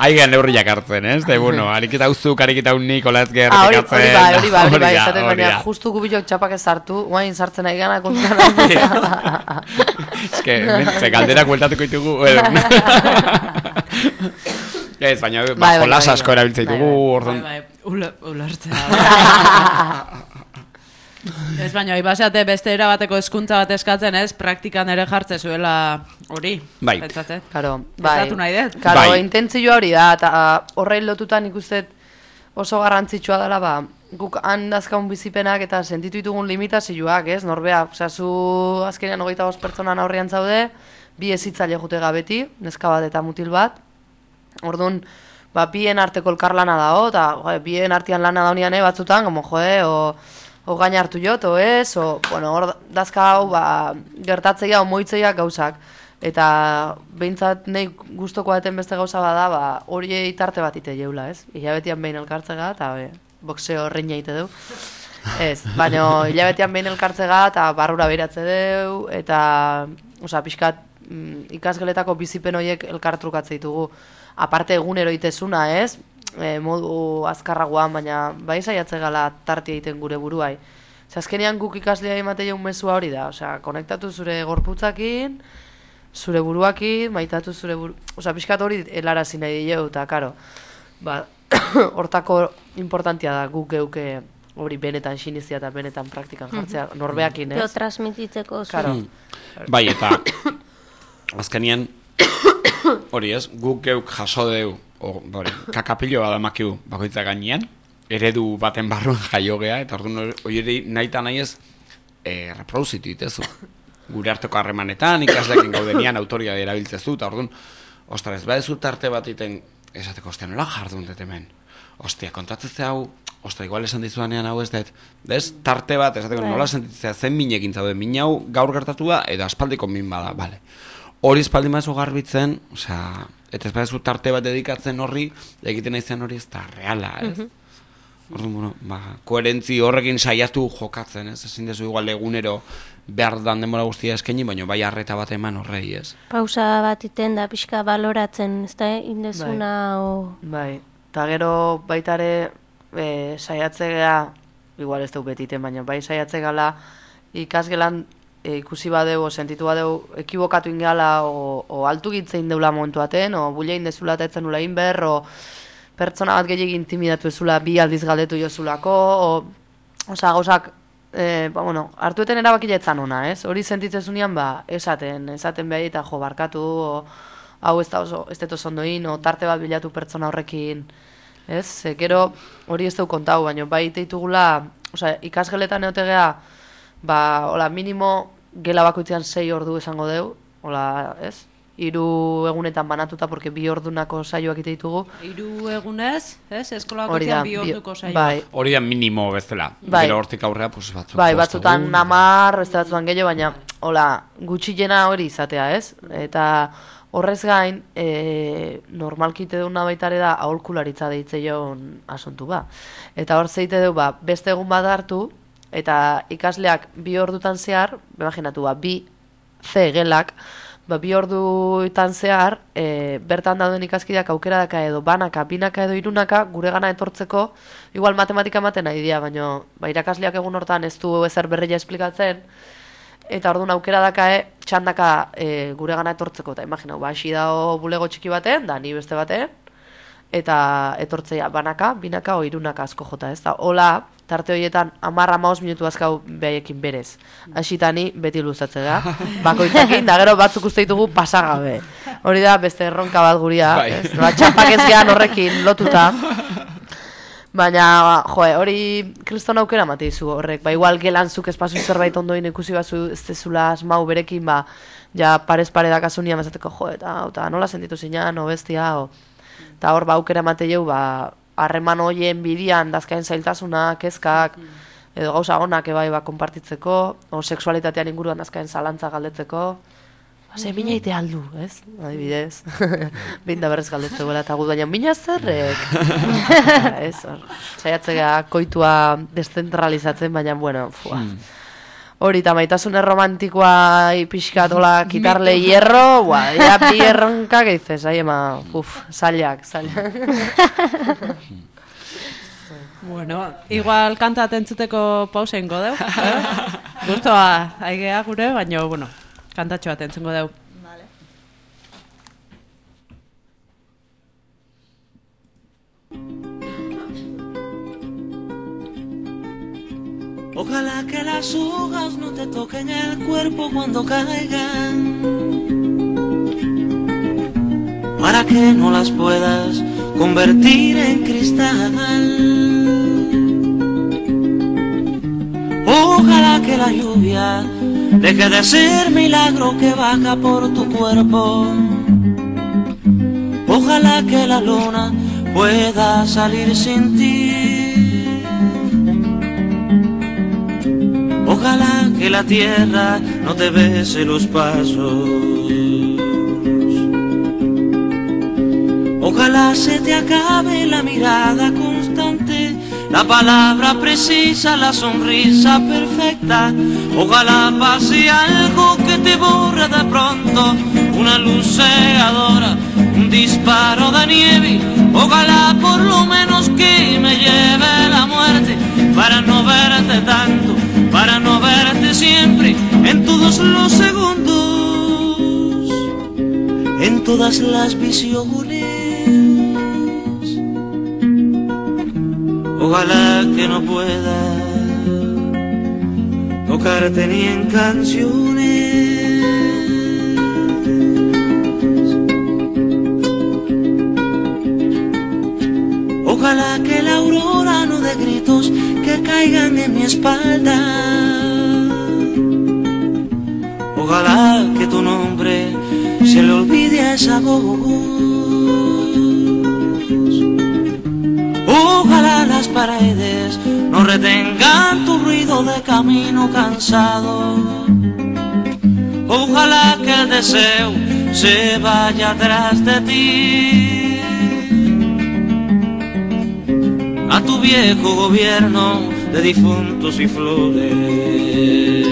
haigean neurriak hartzen, ez? De, bueno, ariketa uzuk, ariketa unik, olaz gerrikatzen. Hori bai, esaten baina, justu gubilok txapak ez sartu, guain sartzen ari gana kontan. Ez que, galderak bueltatuko ditugu. Ez, baina, jolas asko erabiltzen ditugu, orduan. Ulertzea. Ez baina, ibasate beste erabateko hezkuntza bat eskatzen ez, praktikan ere jartze zuela hori. Bai. Karo, Estatu nahi dut. Karo, intentzioa hori da, eta horrein lotutan ikusten oso garrantzitsua dela, guk han dazkaun bizipenak eta sentitu ditugun limitazioak, ez? Norbea, osea, zu azkenean 25 pertsonan aurrean zaude, 2 hezitzaile jutega beti, neska bat eta mutil bat. Orduan, bien arteko elkarlana dago, eta bien artean lana daunian batzutan, como o gaina hartu jot, o ez, o, bueno, hor dazka hau, gertatzeia, omoitzeia gauzak. Eta behintzat nahi guztoko baten beste gauza bada, hori tarte bat ite jeula, ez? Hilabetian behin elkartzega, eta boxeo reina ite du. Ez, baina hilabetean behin elkartzega, eta barrura behiratze deu, eta, osea, pixkat, ikasgeletako bizipen horiek elkartrukatze ditugu. Aparte egunero itezuna, ez? Modu azkarragoan, baina bai saiatze gala tartia egiten gure buruai. Azkenean guk ikaslea ematea un mesua hori da, osea, konektatu zure gorputzakin, zure buruakin, maitatu zure osea, pixkat hori helarazi nahi dileu, eta karo, hortako importantia da guk geuke hori benetan sinizia eta benetan praktikan jartzea, norbeakin, ez? Gero transmititzeko zu. Karo. Bai, eta azkenean hori ez, guk geuk jaso deu, kakapilo bat amakiu bakoitza gainean, eredu baten barruan jaiogea, eta orduan hori nahi eta nahi ez reproduzitu ditezu. Gure arteko harremanetan, ikasleekin gaudenian autoria erabiltzezu, eta orduan, ostras, badezu tarte bat iten, esateko, ostia, nola jardun dut hemen? Ostia, kontatzeze hau, ostia, igual esan dizuanean hau ez dut, tarte bat, esateko, nola sentitzea zen minekin zaude, min hau gaur gertatua, eta aspaldiko min bada, bale. Hori espaldi maizu garbitzen, osea, eta ez badezu tarte bat dedikatzen horri, egiten nahi zen hori ez da reala, ez? Orduan, bueno, koherentzi horrekin saiatu jokatzen, ez? Ezin dezu igual egunero behar dan denbora guztia eskaini, baina bai arreta bat eman horrei, ez? Pausa bat iten da pixka baloratzen, ez da, indezuna o... Bai, eta gero baitare saiatzea, igual ez dugu betiten, baina bai saiatzegala ikasgelan ikusi badeu, o sentitu badeu, ekibokatu ingala, o altu gitzein deula momentu baten, o bulein dezula eta etzen nula inber, o pertsona bat gehiagin intimidatu ezula bi aldiz galdetu jozulako, osea, gauzak, hartueten erabakila etzan ona, ez? Hori sentitzezunean, esaten behar eta jo, barkatu, hau ez dut oso ondoin, o tarte bat bilatu pertsona horrekin, ez? Gero hori ez dut kontau, baina bai teitugula, osea, ikasgeletan eotegea, hola, minimo gela bakoitzean 6 ordu esango deu, hola, ez? 3 egunetan banatuta, porque 2 ordunako saioak ite ditugu. 3 egunez, ez? Eskola bakoitzean 2 orduko saioak. Bai. Hori da minimo bezala. Bai. Gero hortik aurrea, pues batzuk. Bai, batzutan 10, beste batzutan gehiago, baina, hola, gutxiena hori izatea, ez? Eta horrez gain, normalki ite duna baitare da, aholkularitza deitze joan asuntu ba. Eta hor zeite du, beste egun bat hartu, eta ikasleak 2 ordutan zehar, imaginatu, 2 C gelak, 2 ordutan zehar, bertan dauden ikaskideak aukera daka edo banaka, binaka edo irunaka, gure gana etortzeko, igual matematika ematen nahi dira, baina irakasleak egun hortan ez du ezer berreia esplikatzen, eta orduan aukera daka txandaka gure gana etortzeko, eta imaginau, hasi dago bulego txiki baten, da ni beste baten, eta etortzea banaka, binaka o irunaka asko jota, ez da, hola, tarte horietan 10-15 minutu azkau behaiekin berez. Hasitani beti luzatzea, bakoitzakin, da gero batzuk uste ditugu pasagabe. Hori da, beste erronka bat guria, ez? Txapak ez gehan horrekin lotuta. Baina, hori kriston aukera mateizu horrek, igual gelanzuk espazu zerbait ondoin ikusi bazu ez dezula asmau berekin, ja parez pare dakasunia mazateko, eta nola sentitu zinean, o bestia, eta hor aukera mateieu, harreman hoien bidian dazkain zailtasuna, kezkak, edo gauza honak ebai konpartitzeko, o sexualitatean inguruan dazkain zalantza galdetzeko, ze mina ite aldu, ez? Adibidez, binda berrez galdetzeko eta gut, baina mina zerrek. Ez, saiatzea koitua deszentralizatzen, baina, bueno, hori, eta maitasun romantikoa pixkatola kitarle hierro, ya bi erronka, que dices, ahí ema, zailak. Bueno, igual kanta atentzuteko pausa ingo deu. Gustoa, aigea gure, baina, bueno, kantatxo atentzengo deu. Ojalá que las hojas no te toquen el cuerpo cuando caigan, para que no las puedas convertir en cristal. que la lluvia deje de ser milagro que baja por tu cuerpo. Ojalá que la luna pueda salir sin ti. Ojalá que la tierra no te bese los pasos. Ojalá se te acabe la mirada constante, la palabra precisa, la sonrisa perfecta. Ojalá pase algo que te borre de pronto, una luz cegadora, un disparo de nieve. Ojalá por lo menos que me lleve la muerte, para no verte tanto, para no verte siempre, en todos los segundos, en todas las visiones. Ojalá que no pueda tocarte ni en canciones. Ojalá que la aurora no dé gritos que caigan en mi espalda. Ojalá que tu nombre se le olvide a esa voz. Ojalá las paredes no retengan tu ruido de camino cansado. Ojalá que el deseo se vaya atrás de ti, a tu viejo gobierno de difuntos y flores.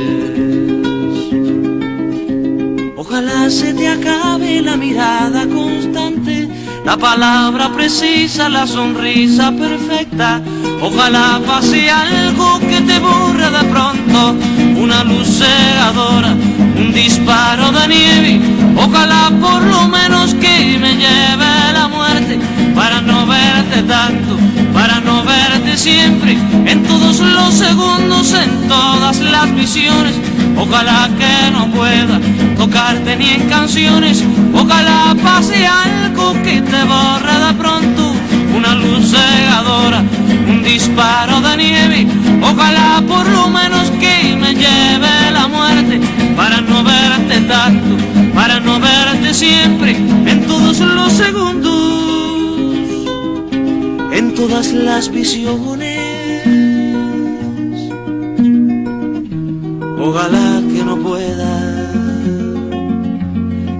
Ojalá se te acabe la mirada constante, la palabra precisa, la sonrisa perfecta. Ojalá pase algo que te borre de pronto, una luz cegadora, un disparo de nieve. Ojalá por lo menos que me lleve la muerte, para no verte tanto, para no verte siempre, en todos los segundos, en todas las visiones. Ojalá que no pueda tocarte ni en canciones. Ojalá pase algo que te borre de pronto, una luz cegadora, un disparo de nieve. Ojalá por lo menos que me lleve la muerte, para no verte tanto, para no verte siempre, en todos los segundos, en todas las visiones. Ojalá que no pueda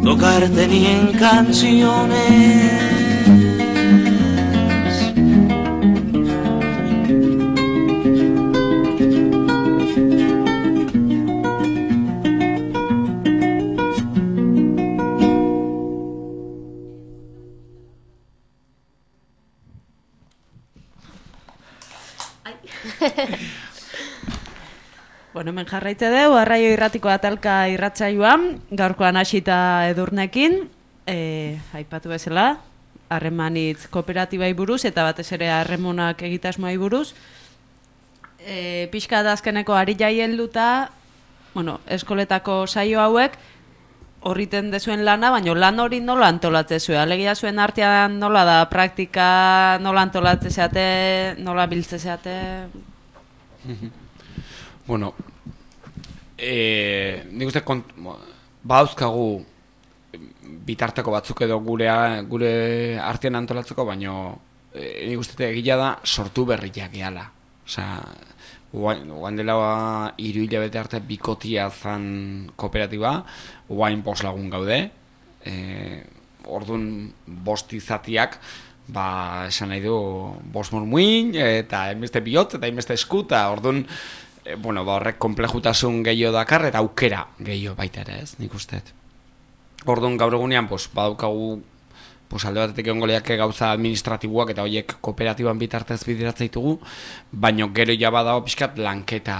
tocarte ni en canciones. Bueno, hemen jarraitze dugu, Arraio Irratiko atalka irratsaioan, gaurkoan hasita Edurnekin, aipatu bezala, harremanitz kooperatibai buruz, eta batez ere harremonak egitasmoai buruz. Pixka da azkeneko ari jaien luta, bueno, eskoletako saio hauek, horriten dezuen lana, baina lan hori nola antolatze zuen? Alegia zuen artean nola da praktika, nola antolatze zeate, nola biltze zeate? Bueno, nik uste bauzkagu bitarteko batzuk edo gure artean antolatzeko, baina nik uste egila da sortu berriak gehala. Osea, guain dela 3 hilabete arte bikotia zan kooperatiba, guain 5 lagun gaude, orduan 5 izatiak, esan nahi du 5 murmuin, eta enbeste bihotz, eta enbeste eskuta, orduan, horrek komplejutasun gehiago dakar, eta aukera gehiago baita ere, ez, nik usteet. Orduan gaur egunean, badaukagu, alde batetik egongo lehiake gauza administratiboak eta horiek kooperatiban bitartez bideratzen ditugu, baina gero ja badago pixkat lanketa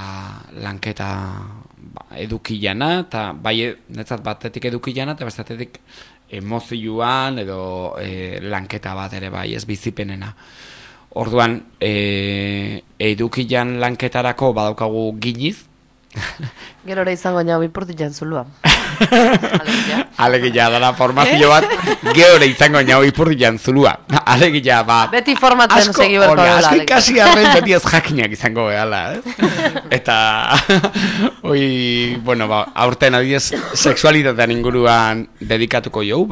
edukilana, eta bai netzat batetik edukilana, eta bestetik emozioan edo lanketa bat ere bai ez bizipenena. Orduan, edukilan lanketarako badaukagu giniz. Gero ere izango nago inportitzen zulua. Alegia dara formazio bat, geore izango nau ipurdian zulua. Alegia, beti formatzen segi berko dela. Asko ikasi arren beti ez jakinak izango behala, Eta, bueno, aurten adiez, sexualitatean inguruan dedikatuko jau,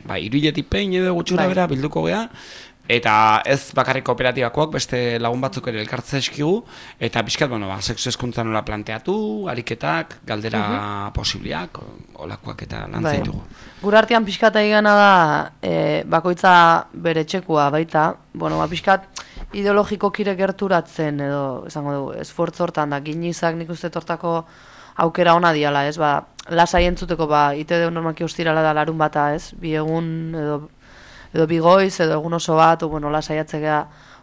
iruiletik pein edo gutxura bera bilduko gea, eta ez bakarrik kooperatibakoak, beste lagun batzuk ere elkartze eskigu, eta pixkat, sexu hezkuntza nola planteatu, ariketak, galdera posibliak, olakoak eta lantzaitugu. Gure artean pixkat egana da, bakoitza bere txekua baita, pixkat ideologiko kire gerturatzen, edo, esango dugu, esfortz hortan da, ginizak nik uste tortako aukera ona diala, ez, lasai entzuteko, ite deu normalki ostirala da larun bata, ez, bi egun, edo bigoiz, edo egun oso bat, lasaiatzea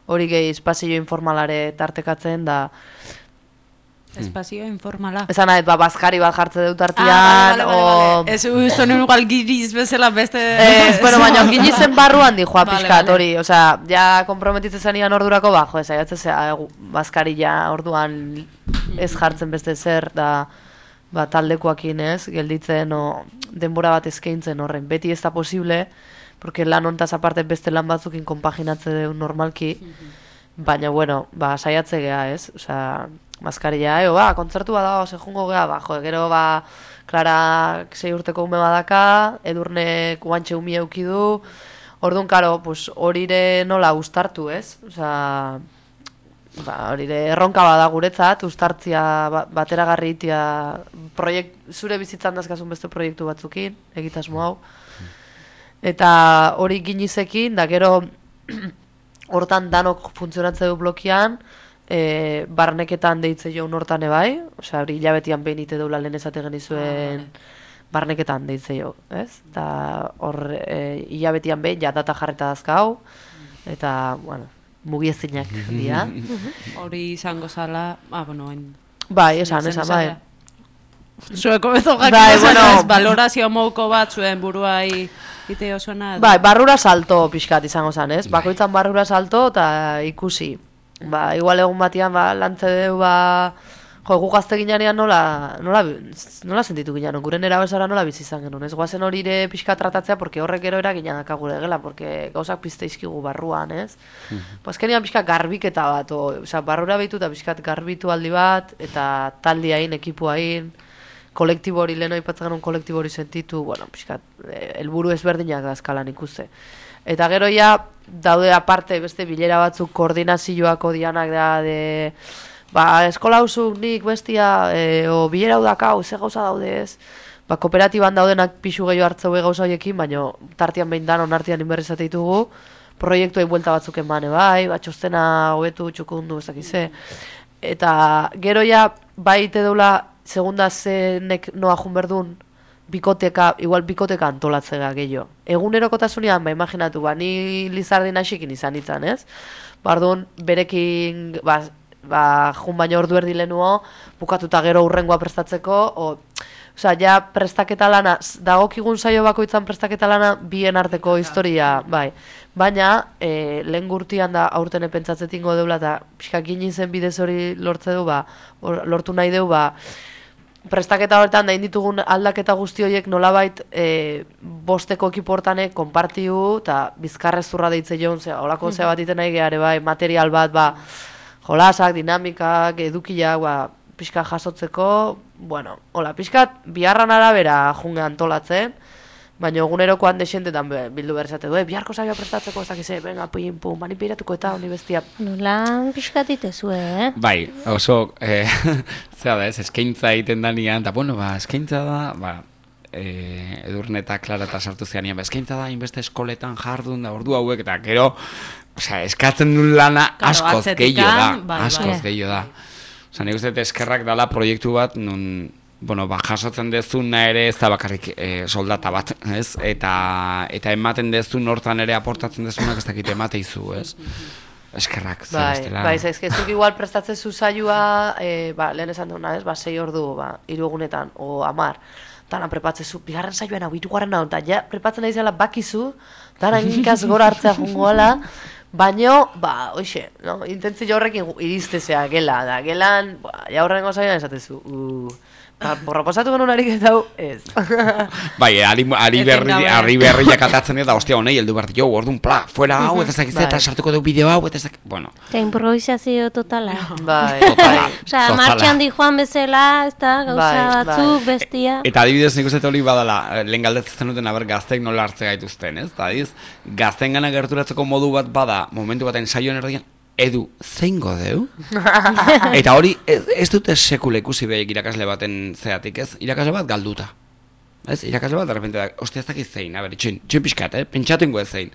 hori gehi espazio informalare tartekatzen, da... Espazio informala. Esan nahi, bazkari bat jartze dut artian, Ez usto nuen igual giriz bezala beste... baina ginizen barruan di joa pixkat hori, osea, ja komprometitzen zenian ordurako, saiatzea bazkari ja orduan ez jartzen beste zer, da taldekoakin ez, gelditzen, denbora bat eskaintzen horren, beti ez da posible, porque lan hontaz aparte beste lan batzukin konpaginatze deu normalki, baina, saiatze geha, ez? Osea, maskarilla, kontzertu bat dago, jungo geha, gero, Klara 6 urteko ume badaka, Edurnek guantxe umi eukidu, orduan, karo, horire nola ustartu, ez? Osea, horire erronka bada guretzat, ustartzia bateragarri itia, zure bizitzan dazkazun beste proiektu batzukin, egitasmo hau, eta hori ginizekin, da gero hortan danok funtzionatze du blokian, barneketan deitze joan hortan ebai, osea, hori hilabetian behin ite deula lehen esate genizuen barneketan deitze jo, ez? Eta hor hilabetian behin ja data jarreta dazkau, eta, mugiezinak dira. Hori izango zala, esan, bai. Zueko beto jakin valorazio mouko bat zuen buruai ite osona. Barrura salto pixkat izango zan, ez? Bakoitzan barrura salto eta ikusi. Igual egun batian lantze deu, gu gazte ginean nola sentitu ginean, gure nera bezala nola bizi izan genuen, ez? Guazen hori ere pixkat tratatzea, porque horrek gero eraginak gure gela, porque gauzak pizte izkigu barruan, ez? Azkenean pixkat garbiketa bat, barrura behitu eta pixkat garbitu aldi bat, eta taldiain, ekipuain, kolektibo hori, lehen aipatzen genuen kolektibo hori sentitu, pixkat, helburu ezberdinak da eskalan ikuste. Eta gero ja, daude aparte beste bilera batzuk koordinazioako dianak da, eskola hauzuk nik bestia, o bilera hau dakau, ze gauza daude ez, kooperatiban daudenak pixu gehiago hartzeu gauza horiekin, baina tartian behin danon artian inberrizate ditugu, proiektuei buelta batzuk eman bai, txostena hobetu, txukundu, ez dakize. Eta gero ja, ite deula, segunda zenek noa junberdun, igual bikoteka antolatzea gehiago. Egunerokotasunean, imaginatu, ni Lizardin asikin izan itzan, ez? Bardun, berekin, jun baino ordu erdi lehenuo, bukatuta gero urrengoa prestatzeko, osea, ja prestaketa lana, dagokigun saio bakoitzan prestaketa lana, bien arteko historia, bai. Baina, lehen gurtian da aurten pentsatzetingo deula, eta pixka ginizen bidez hori lortze du, lortu nahi deu, prestaketa horretan da inditugun aldaketa guzti horiek nolabait bosteko ekipo hortanek konpartiu eta bizkarrezurra deitze joan, holako zea bat iten nahi gehiare bai, material bat, jolasak, dinamikak, edukiak, pixka jasotzeko, hola, pixkat biharran arabera junge antolatzen, baina egunerokoan desentetan bildu berzate du, biharko saioa prestatzeko, ez dakize, venga, pin, pum, manipiratuko eta honi bestia. Nolan pixkat itezue, Bai, oso, zera da ez, eskaintza egiten danian, eta eskaintza da, Edurne eta Klara eta sartu zeanian, eskaintza da, inbeste eskoletan jardun da, ordu hauek, eta gero, eskatzen duen lana askoz gehiago da, Osa, nik uste eskerrak dala proiektu bat, nun, jasotzen dezuna ere ez da bakarrik soldata bat, ez? Eta ematen dezun hortan ere aportatzen dezunak ez dakit emateizu, ez? Eskerrak, zebestela. Bai, ezkezuk igual prestatzen zuzaiua, lehen esan duna, ez? 6 ordu, 3 egunetan, o 10, dana prepatzezu, bigarren saioan hau, 3. hau, eta ja, prepatzen nahi zela bakizu, dana inkaz gora hartzea jungoala, baino, hoxe, intentzio horrekin iristezea gela, da, gelan, ja horrengo saioan esatezu, Proposatu genuen ariketa hau, ez. Bai, ari berriak atatzen eta ostia honei heldu behar jo, orduan fuera hau, eta zakitze, eta sartuko du bideo hau, eta zakitze, bueno. Eta improvisazio totala. Bai. Osa, martxan di joan bezala, ez da, gauza batzuk, bestia. Eta adibidez nik uste hori badala, lehen galdetzen duten aber gazteek nola hartze gaituzten, ez? Eta adiz, gazteen gana gerturatzeko modu bat bada, momentu baten saioen erdian, Edu, zein godeu? Eta hori, ez dute sekule ikusi behik irakasle baten zeatik, ez? Irakasle bat galduta. Ez? Irakasle bat, derrepente da, ostia ez dakit zein, txin pixkat, pentsatu ingo ez zein.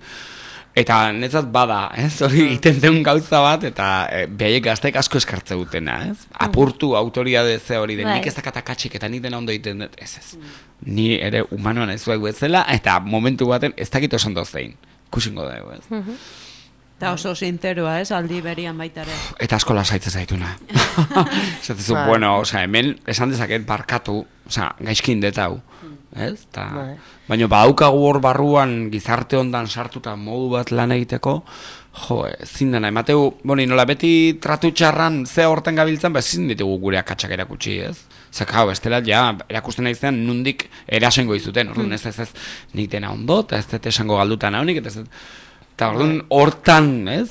Eta netzat bada, ez? Hori egiten den gauza bat, eta behaiek gazteek asko eskartze dutena, ez? Apurtu autoriade ze hori den, nik ez dakatakatxik eta nik dena ondo egiten dut, ez. Ni ere humanoan ez duegu ez zela, eta momentu baten ez dakit oso ondo zein. Kusingo dugu, ez? Eta oso sinteroa, ez, aldi berian baitare. Eta asko lasaitzen zaituna. Zatezu, bueno, hemen esan dezaket barkatu, gaizkin detau. Ez? Baina badaukagu hor barruan gizarte ondan sartuta modu bat lan egiteko, ezin dena, emateu, nola beti tratu txarran ze horten gabiltzen, ezin ditugu gure akatsak erakutsi, ez? Zekau, estela, erakusten nahizean nundik erasengo izuten, orduan ez, nik dena ondo, eta ez dut esango galdutan haunik, eta ez dut, eta orduan hortan, ez,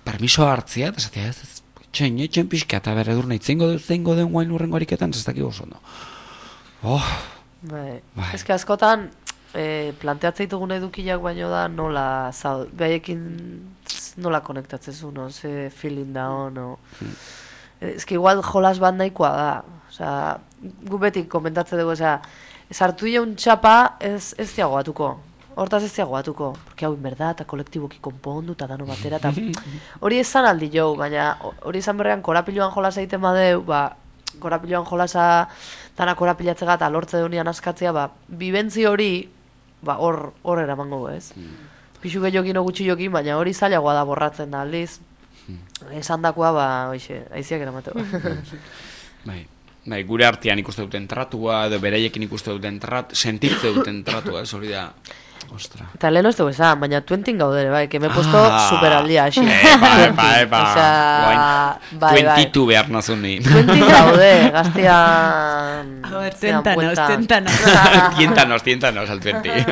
permiso hartzia, eta esatia, ez, txen pixka, eta bere dur nahi, zeingo den guain urrengo ariketan, ez dakik oso ondo. Ez que askotan, planteatzen ditugun edukilak baino da nola behaiekin nola konektatzen no, ze feeling da no. Ez que igual jolas bat nahikoa da. Osea, gu beti komentatzen dugu, osea, sartu un txapa ez diagoatuko. Hortaz ez diagoatuko, porque hau inberda, eta kolektiboki konpondu, eta dano batera, eta hori esan aldi jo, baina hori esan berrean korapiloan jolasa egiten badeu, korapiloan jolasa dana korapilatzega eta lortze deunian askatzea, bibentzi hori, hor eramango, ez? Pixu gehiokin o gutxi jokin, baina hori zailagoa da borratzen da, aldiz, esan dakoa, aiziak eramateko. Bai, gure artean ikuste duten tratua, edo bereiekin ikuste duten sentitze duten tratua, ez hori da. Ostra. Eta lehen ez dugu esan, baina 20 gaudere, bai, que me he puesto superaldia, aixi. Bai. 22 behar nazun ni. 20 gaude, gaztian... A ver, téntanos. Tiéntanos al 20.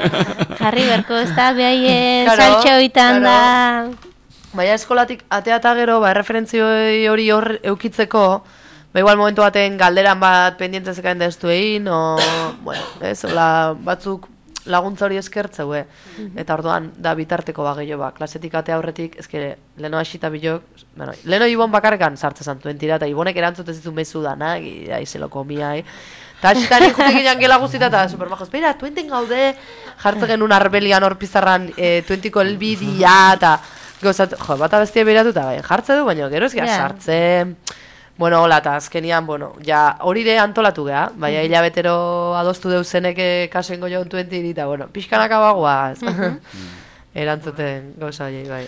Jarri berko, ez da, behaien saltxe hoitan da... Baina eskolatik ateata gero, erreferentzio hori hor eukitzeko, igual momentu baten galderan bat pendientezekain da ez duein, ez, batzuk laguntza hori eskertzeu, eta orduan da bitarteko gehiago, klasetik atea aurretik, ezke, leno hasita bilok, leno Ibon bakarrekan sartzen entira, eta Ibonek erantzut ez ditu mezu dana, aizelo komia, eta hasitan ikutik ginen gela guztita, eta supermajos, beira, 20 gaude, jartzen genuen arbelian hor pizarran 20ko elbidia, eta gozat, bat abestia behiratu, eta jartze du, baina gero ez gara sartzen, bueno, hola, eta azkenian, hori ere antolatu geha, baina hilabetero adostu deuzenek kasoengo joan 20 eta, pixkanaka bagoaz. Erantzuten gauza horiei, bai.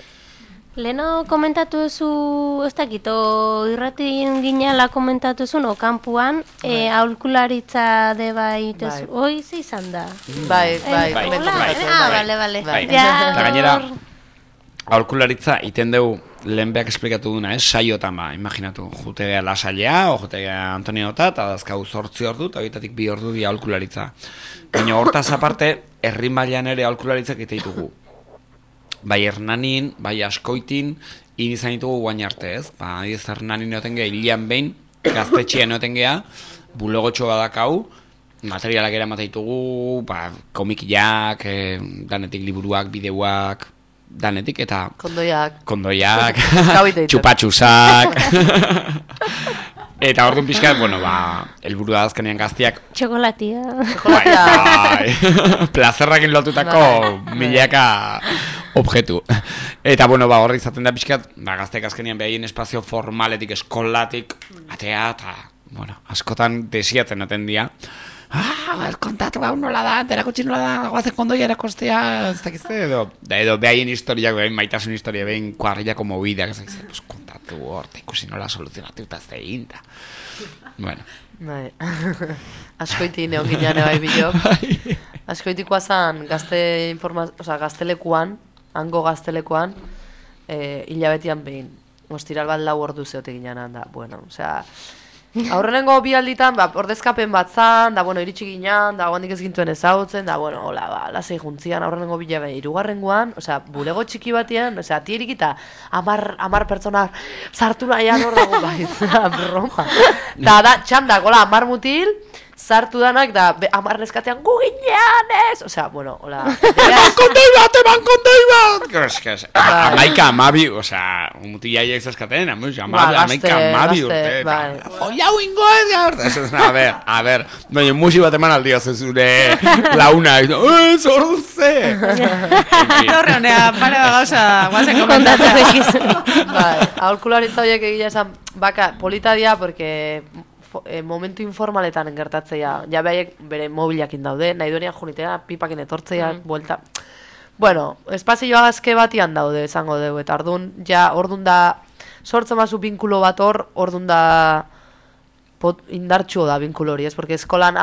Leno komentatu duzu, ez dakito, irratin ginala komentatu duzu, no, kampuan, aholkularitza de bai, hoi ze izan da? Bai. Bale. Eta gainera, aholkularitza iten dugu, lehen behak esplikatu duna, saiotan imaginatu, jutegea lasailea, o jutegea Antoniota, eta dazkau 8 ordu, eta horietatik 2 ordu di aholkularitza. Baina hortaz aparte, herri mailan ere aholkularitzak ite ditugu. Bai Hernanin, bai Askoitin, izan ditugu guain arte, ez? Hernanin eoten geha, hilian behin, gaztetxean eoten geha, bulegotxo badakau, materialak eramate ditugu, komikiak, danetik liburuak, bideoak, danetik eta kondoiak txupatxusak eta orduan pixkat, helburu da azkenean gaztiak txokolatia plazerrakin lotutako milaka objektu eta horri izaten da pixkat gazteak azkenean behaien espazio formaletik, eskolatik atea eta askotan desiatzen aten dia kontatu hau nola da, erakutsi nola da, guazen kondoia erakostea, ez dakizte, edo behaien historiak, behaien maitasun historia, behaien kuarrilako mobideak, ez dakizte, kontatu hor, ikusi nola soluzionatu eta ez da egin, Askoiti neon ginean ebai bilok, askoitikoa zan gaztelekuan, hango gaztelekuan, hilabetian behin, ostiral bat 4 ordu zeote ginean da, aurrenengo bi alditan, ordezkapen bat zan, da, bueno, iritsi ginean, da, guandik ez gintuen ezautzen, da, bueno, hola, lasei juntzian, aurrenengo bila bai, irugarrengoan, osea, bulego txiki batean, osea, tierik eta 10 pertsonak sartu nahian hor dago, bai, broma. Da, txandak, hola, 10 mutil, sartu danak, da, 10 neskatean, gu ginean, ez? Osea, bueno, hola. Eman kondei bat! Amaika amabi, osea, mutilaiek zaskaten, amaika amabi urte. Oia huingo ez, a ber, baina musi bat eman aldia zure launa, zordu ze! Horre honea, pare gauza, guazen Kontatzeko ikizu. Bai, aholkularitza horiek egia esan, baka, polita dia, porque momentu informaletan gertatzea, ja behaiek bere mobilakin daude, nahi duenean junitea, pipakin etortzea, buelta. Bueno, espazioa azke batian daude, esango dugu, eta ordun da, sortzen mazu binkulo bat ordun da, indartxuo da binkulo hori, ez? Porque eskolan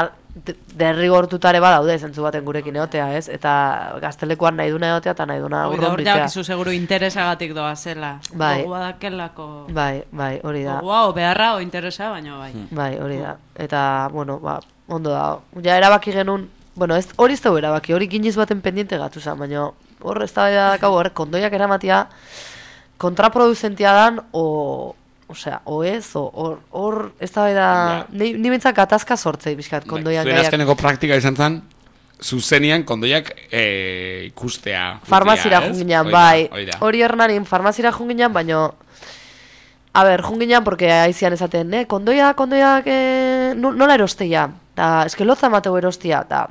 derrigortutare badaude, zentzu baten gurekin egotea, ez? Eta gaztelekuan nahi duna egotea, eta nahi duna urrunbitea. Hor jakizu seguru interesagatik doa zela. Bai. Gogua dakelako. Bai, hori da. Gogua, o beharra, o interesa, baina bai. Bai, hori da. Eta, bueno, ondo da. Ja, erabaki genuen, bueno, hori ez da erabaki, hori giniz baten pendiente gatu zen, baina hor ez da dakau, kondoiak eramatia kontraproduzentia dan, osea, ez, hor ez da ni bentzak gatazka sortzei bizkat kondoiak gaiak. Zuen azkeneko praktika izan zen, zuzenian kondoiak ikustea. Farmazira junginan, bai. Hori hernanin farmazira junginan, baina a ber, junginan, porque aizian esaten, kondoiak nola erostea? Eske lotza mateu erostea, eta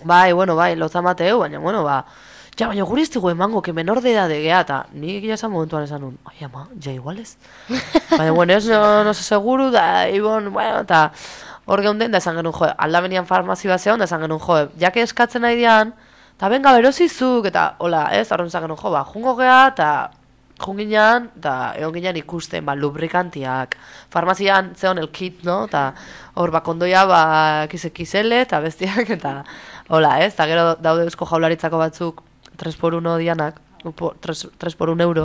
bai, lotza mateu, baina, ja, baina guri ez dugu emango, que menor de edad egea, eta nik egia esan momentuan esan nun, ai ama, ja iguales. Baina, bueno, ez no se seguru, da, ibon, bueno, eta hor geunden, da esan genuen, aldamenian farmazi bat zehon, da esan genuen, jake eskatzen nahi dian, eta benga berozizuk, eta, hola, ez, horren esan genuen, jungo gea, eta junginan, eta egon ginean ikusten, lubrikantiak, farmazian zehon el kit, no, eta hor, kondoia, kisele, eta bestiak, eta, hola, ez, eta gero daude Eusko Jaurlaritzako batzuk, 3x1 dianak, 3x1 euro,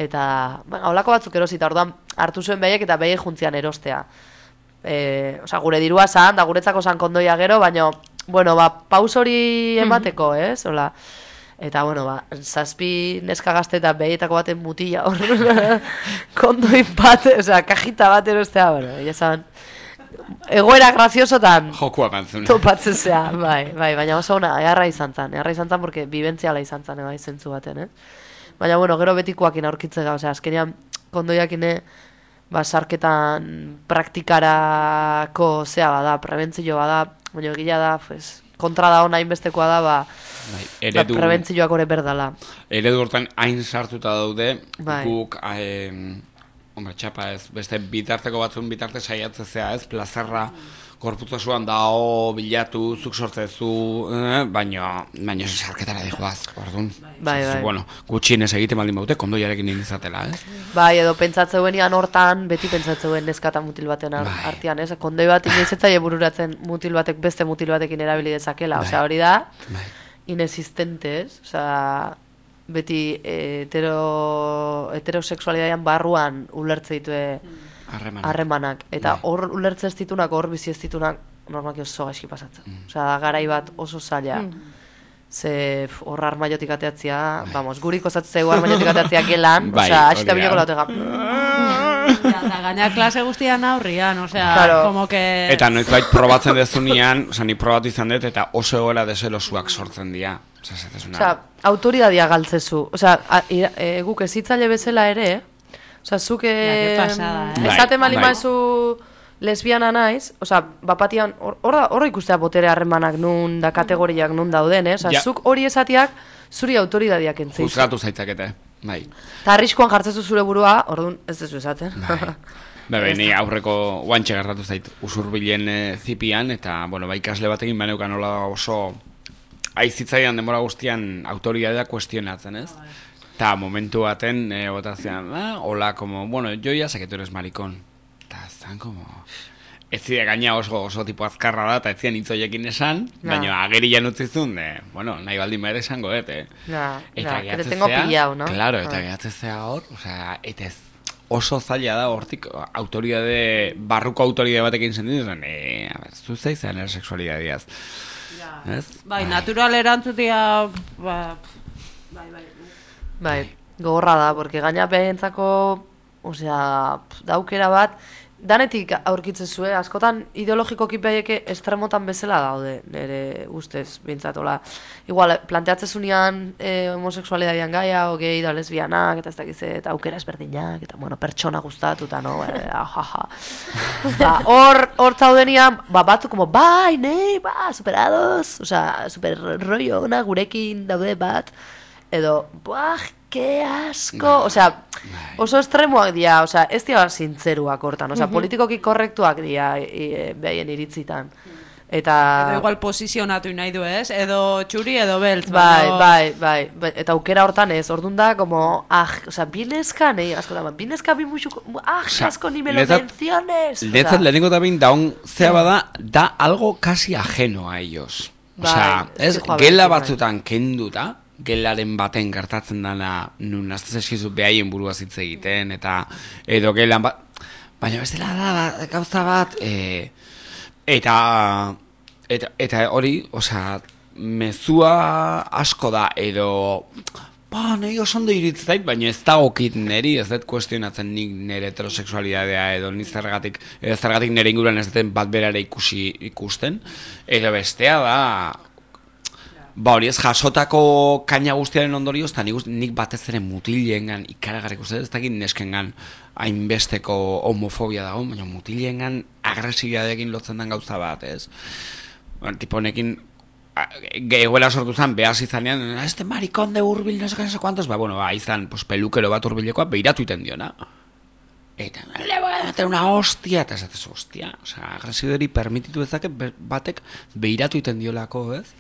eta, holako batzuk erosita, orduan hartu zuen behaiek eta behaiek juntzian erostea. Osa, gure dirua zan, da guretzako zan kondoia gero, baina, bueno, paus hori emateko, ez, hola. Eta, bueno, 7 neska gazte eta behietako baten mutila hor, kondoi bat, oza, kajita bat erostea, bueno, ya zan, egoera graziosotan jokua mantzuna topatzen zea, bai, baina oso ona, eharra izan zan, porque bibentziala izan zan, bai, zentzu baten, Baina, bueno, gero betikoakin aurkitzega, osea, azkenean kondoiakine, sarketan praktikarako zea bada, prebentzio bada, baina egila da, kontra da ona inbestekoa da, prebentzioak ore berdala. Eredu hortan hain sartuta daude, guk, hombre, txapa ez, beste bitarteko batzun bitarte saiatzea ez, plazerra korputzasuan dao, bilatu, zuk sortzezu, baina sarketara dihoaz, orduan. Bai. Bueno, gutxienez egiten baldin baute, kondoiarekin indizatela, ez? Bai, edo pentsatzeuen hortan, beti pentsatzeuen neskata mutil baten artean, ez? Kondoi bat inoizetzaile bururatzen mutil batek beste mutil batekin erabili dezakela, osea, hori da, inexistente, ez? Osea, beti heterosexualidadean barruan ulertze ditue harremanak. Eta hor ulertze ez ditunak, hor bizi ez ditunak, normalki oso gaizki pasatzen. Osea, garai bat oso zaila. Ze hor armaiotik ateatzea, vamos, gurik osatzeu armaiotik ateatzea gelan, osea, asita biloko lautega. Eta gaina klase guztian aurrian, osea, como que... Eta noizbait probatzen dezunean, osea, ni probatu izan dut, eta oso egoera deselosuak sortzen dira. Osea, autoridadia galtzezu. Osea, guk ezitzaile bezala ere, osea, zuk esaten malimazu lesbiana naiz, osea, bapatian, horra ikustea botere harremanak nun, da kategoriak nun dauden, osea, zuk hori esatiak zuri autoridadiak entzeizu. Juzgatu zaitzakete, bai. Eta arriskuan jartzezu zure burua, orduan ez dezu esaten. Ni aurreko guantxe gertatu zait usurbilen zipian, eta, bueno, ikasle batekin baneukan nola oso aizitzaidan denbora guztian autoridadea kuestionatzen, ez? Eta momentu baten, botazean, hola, como, bueno, yo ya sé que tú eres maricón. Eta zan, como... Ez zide gaina oso tipo azkarra da, eta ez zian hitzoiekin esan, baina agerian utzizun, bueno, nahi baldin behar esango, eta que te tengo pillado, no? Claro, eta gehatzezea hor, osea, eta ez oso zaila da hortik barruko autoridade batekin sentitzen, zu zaizan sexualidadiaz. Bai, natural erantzutia, Bai, gogorra da, porque gaina behentzako, osea, daukera bat, danetik aurkitzen zuen, askotan ideologikoki beheke estremotan bezala daude, nire ustez, bintzatola. Igual, planteatzezunean homoseksualidadian gaia, o gay da lesbianak, eta ez dakiz, eta aukera ezberdinak, eta, bueno, pertsona gustatu, eta no, jaja. Hor zaudenian, batzuk, como, bai, nei, superados, osea, super rollo ona, gurekin daude bat, edo, que asko, osea, oso estremoak dira, osea, ez dira zintzeruak hortan, osea, politikoki korrektuak dira behaien iritzitan. Eta... Edo igual posizionatu nahi du, ez? Edo txuri edo beltz. Bai, eta aukera hortan ez, orduan da, como, osea, bineska, nahi, asko da, bineska bimuxuko, asko ni me lo menciones. Lehetzat, lehenengo da bin, daun zea bada, da algo casi ajeno a ellos. Osea, ez, gela batzutan kenduta, gelaren baten gertatzen dana nun aztez eskizu behaien burua hitz egiten eta edo gelan bat baina bestela da gauza bat eta hori, osea, mezua asko da edo nahi oso ondo iritz zait, baina ez da okit neri, ez dut kuestionatzen nik nire heterosexualidadea edo ni zergatik nire inguruan ez duten bat berara ikusten edo bestea da hori ez jasotako kaina guztiaren ondorioz, eta nik batez ere mutilengan ikaragarrik uste, ez dakit neskengan hainbesteko homofobia dago, baina mutilengan agresibiadekin lotzen den gauza bat, ez? Tipo honekin, egoera sortu zen, behaz izanean, este marikon de urbil, no sé cuantos, izan, pelukero bat urbilekoa, behiratu iten diona. Eta, le voy a meter una hostia, eta ez ez hostia, osea, agresibidori permititu ezake batek behiratu iten diolako, ez?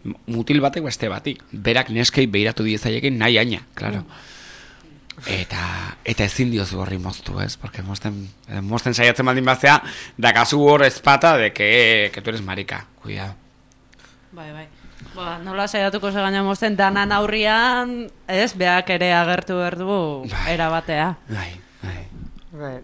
Mutil batek beste batik, berak neskei behiratu diezaiekin nahi aina, claro. Eta ezin diozu horri moztu, ez? Porque mozten saiatzen baldin bazea, dakazu hor ezpata de que tú eres marica, cuidado. Bai. Nola saiatuko ze gaina mozten danan aurrian, ez? Beak ere agertu berdu erabatea. Bai. Bai.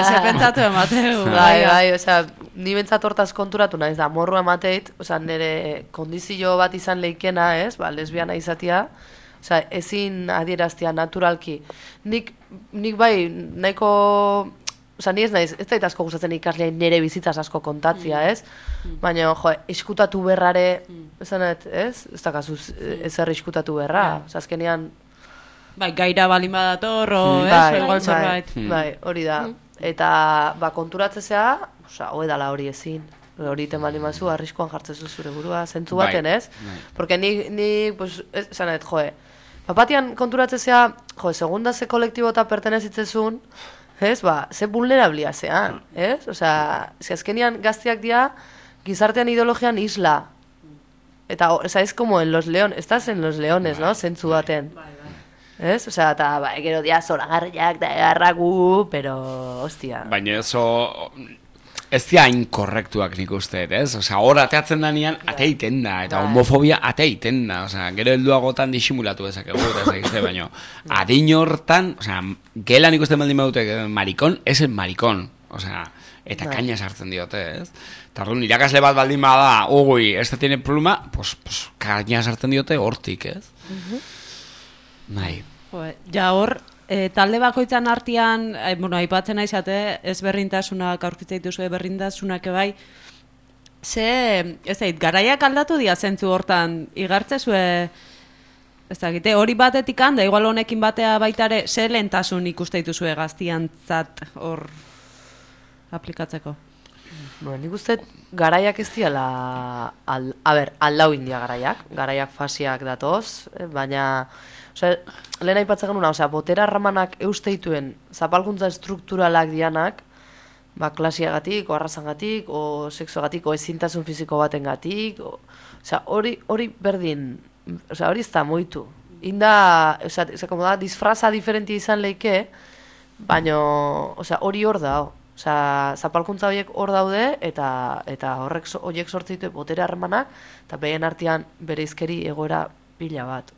Se pentsatu emateu. Bai, osea, ni bentsat hortaz konturatu naiz da, morru emateit, osea, nire kondizio bat izan leikena, ez, lesbiana izatia, osea, ezin adieraztia naturalki. Nik bai, nahiko, osea, ni ez naiz, ez dait asko gustatzen ikasleai nire bizitzaz asko kontatzia, ez? Baina, iskutatu berrare, esanet, ez? Ez dakazu ezer iskutatu berra, osea, azkenean... Bai, gaira balin badator, bai, hori da. Eta, konturatzea, hoe dala hori ezin. Hori iten balin mazu, arriskoan jartzezu zure burua, zentzu baten, ez? Porque ni, pues, esanet, batian konturatzea, segunda ze kolektibo eta pertenezitzezun, ez, ze vulnerablia zean, ez? Osea, azkenian gaztiak dira, gizartean ideologian isla. Eta, ez como en los leones, estás en los leones, no? Zentzu baten. Ez? Osea, eta gero dia zoragarriak da egarragu, pero, hostia. Baina ez dira inkorrektuak nik uste, ez? Osea, hor ateatzen danean, ate egiten da, eta homofobia ate egiten da. Osea, gero helduagotan disimulatu dezakegu, eta ez egizte, baina adin hortan, osea, gelan ikusten baldin badute marikon, ez el marikon. Osea, eta kaina sartzen diote, ez? Eta orduan, irakasle bat baldin bada, este tiene pluma, pues kaina sartzen diote hortik, ez? Nahi. Ja hor, talde bakoitzan artean, aipatzen naizate, ez berrintasunak, aurkitzen dituzue berrintasunak bai, garaiak aldatu dia zentzu hortan, igartzezue, ez dakite, hori batetik handa, igual honekin batea baitare, ze lehentasun ikuste dituzue gaztiantzat hor aplikatzeko? Nik uste garaiak ez diala, aldau india garaiak fasiak datoz, baina... Lehen aipatzen genuna, botera ramanak eusteituen zapalkuntza estrukturalak dianak, klasiagatik, o arrazangatik, o sexoagatik, o ezintasun fiziko batengatik, hori berdin, hori ez da moitu. Inda, disfraza diferentia izan leike, baina hori hor da, zapalkuntza horiek hor daude, eta horiek sortzeitu botera ramanak, eta behien artean bere izkeri egoera pila bat,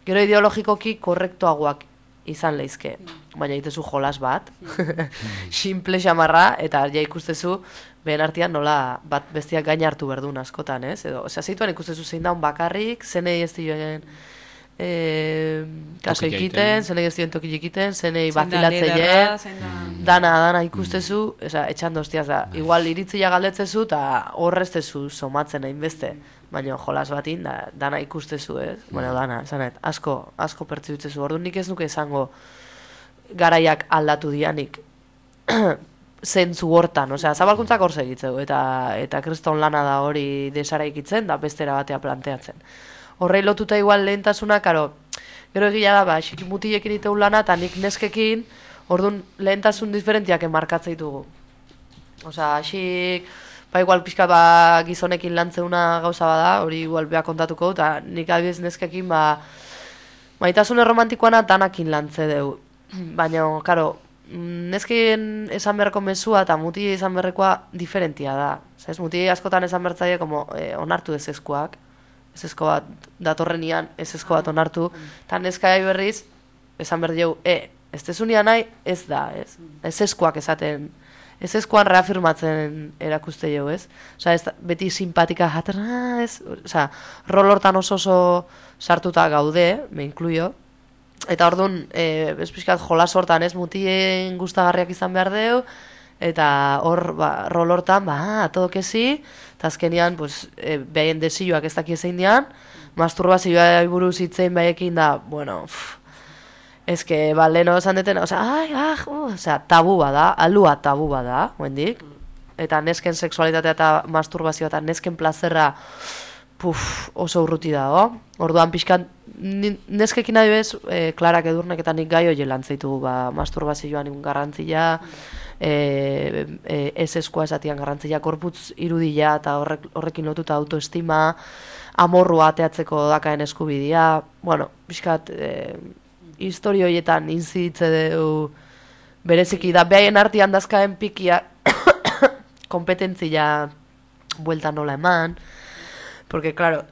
Gero ideologikoki korrektoagoak izan leizke, baina itezu jolas bat, simple xamarra, eta ja ikustezu, behen artean nola bat bestiak gain hartu berdun askotan, ez? Edo, zeituan ikustezu zein daun bakarrik, zenei ez dioen kaso ikiten, zenei ez dioen toki ikiten, zenei bazilatzeien, dana ikustezu, etxan doztiaz da. Igual iritzia galdetzezu, eta horreztezu somatzen hainbeste, baina jolas batin, dana ikustezu, ez? Bueno, dana, esanet, asko pertsibitzezu. Orduan nik ez nuke esango garaiak aldatu dianik zentzu hortan, zabalkuntzak hor segitzeu, eta kriston lana da hori desaraikitzen, da bestera batea planteatzen. Horrei lotuta igual lehentasuna, karo, gero egia da, mutilekin iteu lana, eta nik neskekin, orduan lehentasun diferentiak enmarkatzea ditugu. Xik, igual pixka gizonekin lantzeuna gauza bada, hori igual beha kontatuko, eta nik adibidez neskekin, maitasune romantikoana danakin lantze deu. Baina, karo, nesken esan beharko mezua eta muti esan beharrekoa diferentia da. Muti askotan esan behartzaile onartu ezezkoak, ezezko bat datorrenian, ezezko bat onartu, eta neskai berriz, esan behar dugu, ez tezunia nahi, ez da, ez? Ezezkoak esaten, ezezkoan reafirmatzen erakuste jo, ez? Ez beti simpatika jaten, ez? Rol hortan oso sartuta gaude, me incluyo, eta orduan, ez pixkat jolas hortan, ez? Mutien gustagarriak izan behar deu, eta hor, rol hortan, todo kezi, eta azkenian, behaien desioak ez daki ezein dian, masturbazioa buruz hitzein behaiekin da, bueno, ezke, leheno esan deten, tabu bada, alua tabu bada, huendik, eta nesken sexualitatea eta masturbazioa eta nesken plazerra oso urruti dago. Orduan pixkan, neskekin nahi bez, Klarak Edurnek eta nik gai hori lantzeitugu, masturbazioan garrantzia, eseskoa esatian garrantzia, korputz irudia eta horrekin lotuta autoestima, amorrua ateatzeko dakaen eskubidea, bueno, pixkat, historio horietan inziditze dugu bereziki da, behaien artean dazkaen pikia kompetentzia buelta nola eman, porque, claro,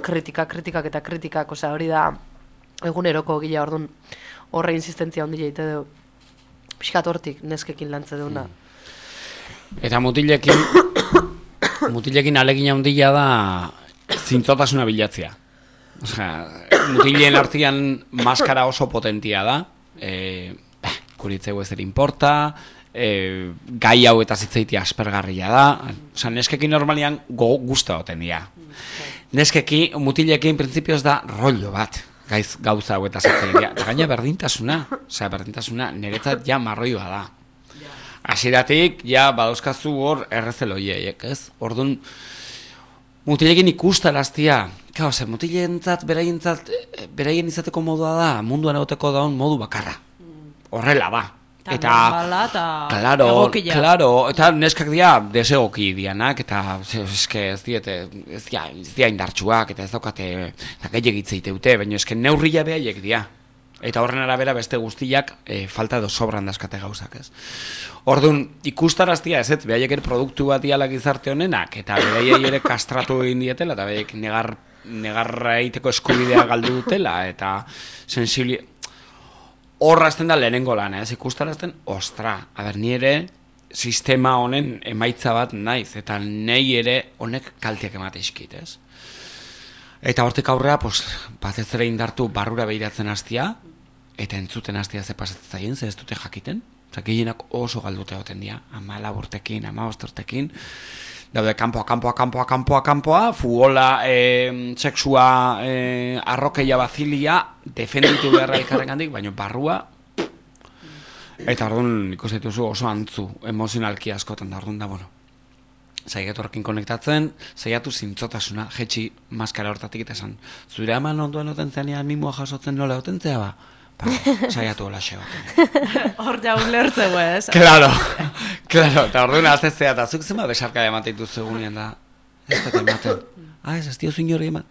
kritikak eta kritikak, hori da eguneroko gila, orduan horre insistentzia ondila ite dugu, pixkat hortik neskekin lantze duguna. Eta mutilekin alegina ondila da zintzotasuna bilatzea. Mutileen artean maskara oso potentia da, kuritzeu ezer importa, gai hau eta zitzaiti aspergarria da, neskekin normalian guzta oten dira. Neskeki, mutilekin printzipioz da rollo bat, gauza hau eta zitzaiti. Gaina berdintasuna niretzat ja marroioa da. Hasieratik, ja badauzkazu hor errezeloiek, ez? Orduan, mutilekin ikustaraztia, mutileentzat, beraien izateko modua da, munduan egoteko daun modu bakarra. Horrela da. Eta egokia. Claro, eta neskak dira desegoki dianak, eta ez dira indartsuak, eta ez daukate gehiagitzeiteute, baina eske neurria behaiek dira. Eta horren arabera beste guztiak falta edo sobran daskate gauzak, ez? Orduan, ikustaraztia ez, behaiek ere produktu bat diala gizarte honenak, eta behaiek ere kastratu egin dietela, eta behaiek negarra egiteko eskubidea galdu dutela, eta sensibilia... Horra azten da lehenengo lan, ez? Ikustarazten, ostra, ni ere sistema honen emaitza bat naiz, eta nahi ere honek kalteak emateizkit, ez? Eta hortik aurrea, batez ere indartu barrura behiratzen hastia, eta entzuten hastia ze pasatzen zaien, ze ez dute jakiten. Gehienak oso galdute goten dira, 14 urtekin, 15 urtekin. Daude kanpoa, fugola, sexua, arrokeia bazilia, defenditu beharra elkarren gandik, baina barrua. Eta orduan ikusetuzu oso antzu, emozionalki askotan da, orduan da, bueno. Zaiatu horrekin konektatzen, zaiatu zintzotasuna, jetxi maskara hortatik eta esan, zure eman onduan oten zenean mimoa jasotzen nola oten zea ba? Zaiatu hola xe baten. Hor jau lertzeu ez? Claro, eta orduan aztezea, eta zuk zema besarka emateitu zegunean da, ez dut ematen, ez diozu inori eman.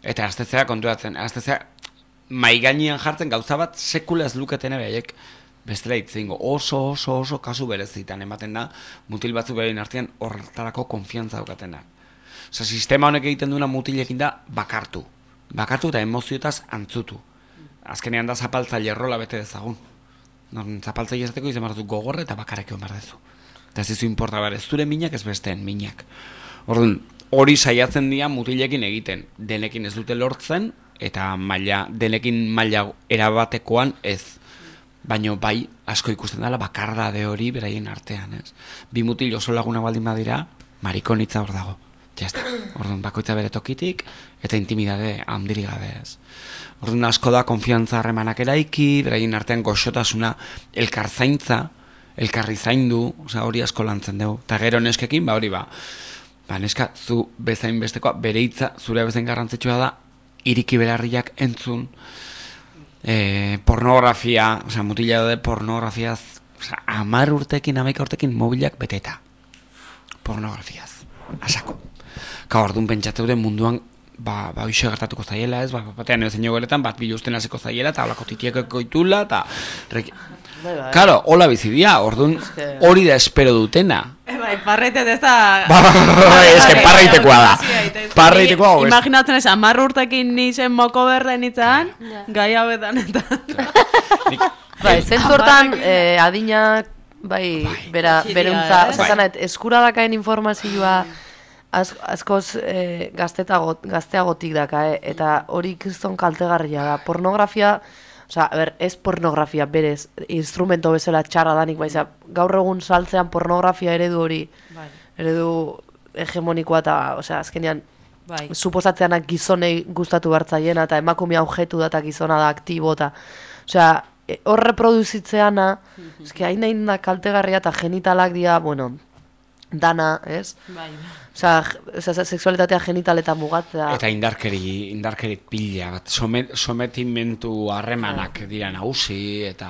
Eta aztezea kontuatzen, aztezea maigainian jartzen gauza bat sekula ez luketen ebeiek, bestela itzingo, oso kasu berezitan ematen da, mutil batzu behin artean horretarako konfiantza daukatena. Sistema honek egiten duena mutilekin da bakartu. bakatu eta emozioetaz antzutu. Azkenean da zapaltzaile rola bete dezagun. Zapaltzaile izateko izan behar du gogorra eta bakarrik egon behar dezu. Eta ez izu importa behar, ez zure minak ez besteen minak. Orduan, hori saiatzen dira mutilekin egiten. Denekin ez dute lortzen, eta denekin maila erabatekoan ez. Baina bai, asko ikusten dela bakardade hori beraien artean, ez? Bi mutil oso laguna baldin badira, marikonitza hor dago. Jazta. Orduan, bakoitza bere tokitik, eta intimidade handirik gabe, ez? Orduan, asko da konfiantza harremanak eraiki, beraien artean goxotasuna, elkarzaintza, elkarri zaindu, hori asko lantzen dugu. Eta gero neskekin, hori neska, zu bezain bestekoa, bere hitza, zure bezain garrantzitsua da, iriki belarriak entzun, pornografia, mutila de pornografiaz, 10 urtekin, 11 urtekin mobilak beteta. Pornografiaz, asako. Orduan pentsatzeure munduan, hoxe gertatuko zaiela, ez? Batean ezein goretan, bat biluzten hasiko zaiela, eta holako titieko itula, eta... Karo, hola bizidia, orduan hori da espero dutena. Bai, parreitet ez da... Ez que parreitekoa da. Parreitekoa hau ez. Imaginatzen ez, 10 urtekin nizen moko berden itzan, gai hauetan eta... Bai, zentzortan adinak, beruntza, eskuradakaen informazioa askoz gazteagotik daka, eta hori kriston kaltegarria da. Pornografia... ez pornografia berez, instrumento bezala txarra danik, baiza, gaur egun saltzean pornografia eredu hori, eredu hegemonikoa eta, azkenean, suposatzeanak gizonei gustatu hartzaiena, eta emakumea objetu da, eta gizona da aktibo, eta, hor reproduzitzeana, hain da kaltegarria, eta genitalak dira, dana, ez? Sexualitatea genitaletan mugatzea. Eta indarkeri pila bat, sometimentu harremanak dira nagusi, eta...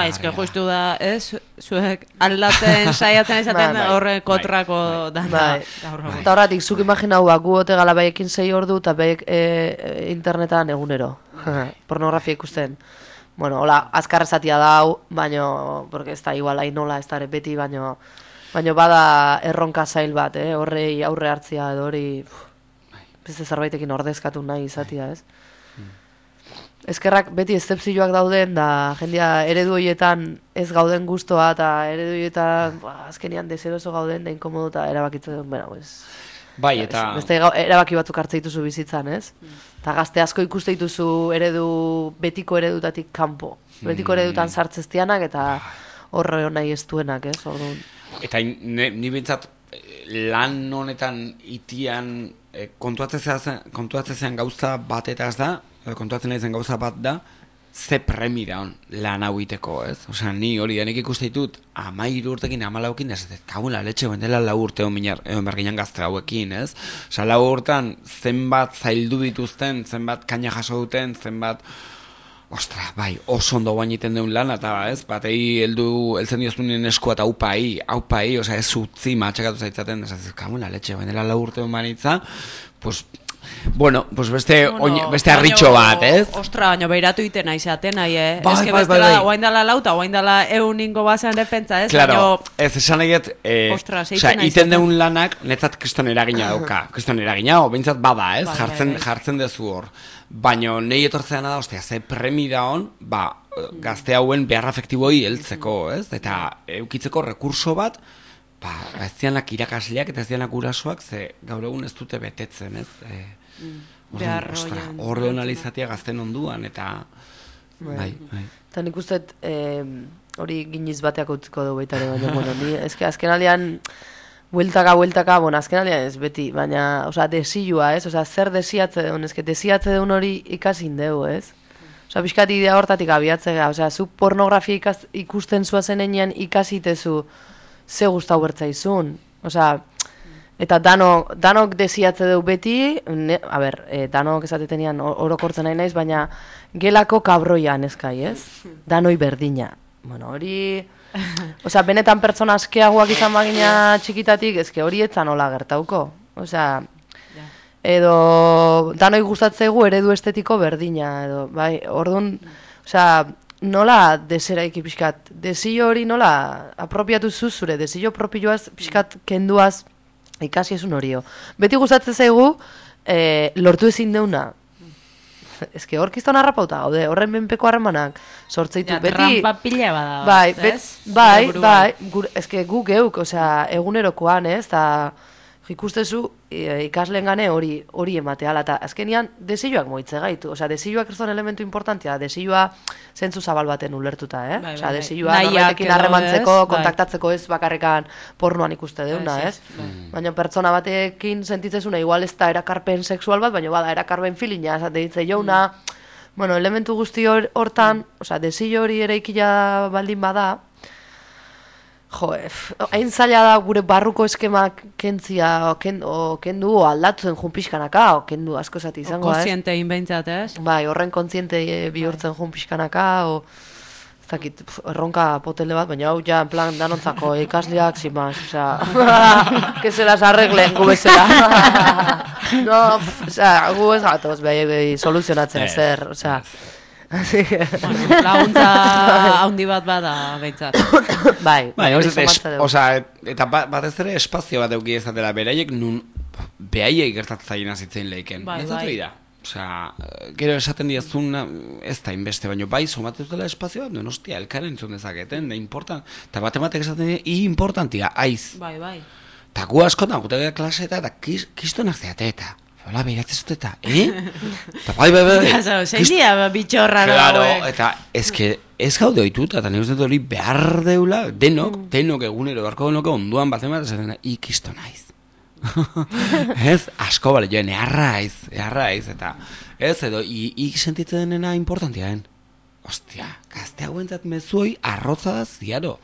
ezke justu da, ez? Zuek aldatzen saiatzen izaten horre kontrako dana. Eta horretik, zuk imaginau, gu ote gala baiekin 6 ordu, eta baiek internetan egunero. Pornografia ikusten. Hola, azkarrezatia dau, baino, porque ez da igual hain nola, ez da beti, baino bada erronka zail bat, horrei aurre hartzia edo hori beste zerbaitekin ordezkatu nahi izatia, ez? Eskerrak beti eszepzioak dauden, da jendia eredu horietan ez gauden gustoa, eta eredu horietan azkenian deseroso gauden, da inkomodo eta erabakitzen duen, eta... Beste erabaki batzuk hartze dituzu bizitzan, ez? Eta gazte asko ikuste dituzu betiko eredutatik kanpo. Betiko eredutan sartzeztianak eta horre nahi ez duenak, ez? Orduan... Eta ni bintzat lan honetan itian kontuatzen zen gauza bat eta ez da, kontuatzen nahi zen gauza bat da, ze premi da hon lan hau iteko, ez? Ni hori denek ikuste ditut 13 urtekin, 14ekin, ez kagula letxe dela 4 urte egon berginan gazte hauekin, ez? 4 urtean zenbat zaildu dituzten, zenbat kaina jaso duten, zenbat... Ostra, oso ondo guainiten deun lan, eta ez, batei heltzen dioztunen esku eta aupai, ez utzi matxakatu zaitzaten, ez kamuna letxe, bainela 4 urte humanitza, pues beste arritxo bat, ez? Ostra, baina beiratu iten aizaten, nahi, ez que bestela, oain dala lauta, oain dala euningo bazen defentza, ez? Claro, ez esan egiet, iten deun lanak, netzat kriston eragina dauka, kriston eragina, o bintzat bada, ez? Jartzen dezu hor. Baina nahi etortzean da, ze premi da hon, gazte hauen behar afektiboi heltzeko, ez? Eta eukitzeko rekurso bat, ez dianak irakasleak eta ez dianak gurasoak, ze gaur egun ez dute betetzen, ez? Horre honalizatia gazten onduan, eta... Eta nik uste, hori giniz bateak utziko dugu baitare, baina, azken aldean... Bueltaka, azken aldean ez beti, baina, desioa, ez? Zer desiatze deun, desiatze deun hori ikasin dugu, ez? Pixkat idea hortatik abiatzea, zu pornografia ikusten zuazen enean ikasitezu ze guztau bertzaizun. Eta danok desiatze dugu beti, danok esatetenian orokortzen nahi naiz, baina gelako kabroian ezkai, ez? Danoi berdina. Hori... benetan pertsona askeagoak izan bagina txikitatik, hori etzan hola gertauko. Edo danoi gustatzegu eredu estetiko berdina, edo, orduan, nola deseraiki pixkat, desio hori nola apropiatu zuzure, desio propioaz pixkat kenduaz ikasi esun horio. Beti gustatzen zaigu lortu ezin deuna, eske hor kiston harrapauta gaude, horren menpeko harremanak sortzeitu beti. Trampa pila bada. Bai, eske gu geuk, osea, egunerokoan, ez, eta ikustezu ikasleen gane hori emateala, eta azkenian desioak moitze gaitu, osea, desioak kriston elementu importantia, desioa zentzu zabal baten ulertuta, osea, desioa norbaitekin harremantzeko, kontaktatzeko ez bakarrekan pornoan ikuste deuna, ez? Baina pertsona batekin sentitzezuna, igual ez da erakarpen sexual bat, baina bada erakarpen filina, esate ditze jouna, bueno, elementu guzti hortan, osea, desio hori ere ikila baldin bada, hain zaila da gure barruko eskemak kentzia, kendu, aldatzen jun pixkanaka, kendu asko zati izango, ez? Kontziente inbeintzat, ez? Bai, horren kontziente bihurtzen jun pixkanaka, ez dakit, erronka potele bat, baina hau ja, en plan, danontzako ikasleak, zimaz, osea, que se las arreglen, gu bezala. No, osea, gu ez gatoz, behi soluzionatzen zer, osea, laguntza handi bat bada behintzat. Bai, eta batez ere espazio bat euki ezatela beraiek nun behaiek gertatzaien azitzen lehiken. Bai. Osea, gero esaten diazun ez da inbeste, baino bai, somatzen dutela espazio bat, duen hostia, elkaren entzun dezaketen, da important. Eta batematek esaten dira, importantia, aiz. Bai. Eta gu askotan, gutekea klaseta, eta kistonak zeate eta. Hola, behiratzen zuteta, Eta bai. Zein dia bitxorra claro, eta ez gaude oituta, eta nire uste hori behar deula, denok egunero, beharko genuke onduan bat emat, esaten da, ikisto naiz. Ez, asko bale, joen, eharraiz, eta ez, edo, sentitzen denena importantiaen. Ostia, gazte hauentzat mezuoi arrotza da ziaro.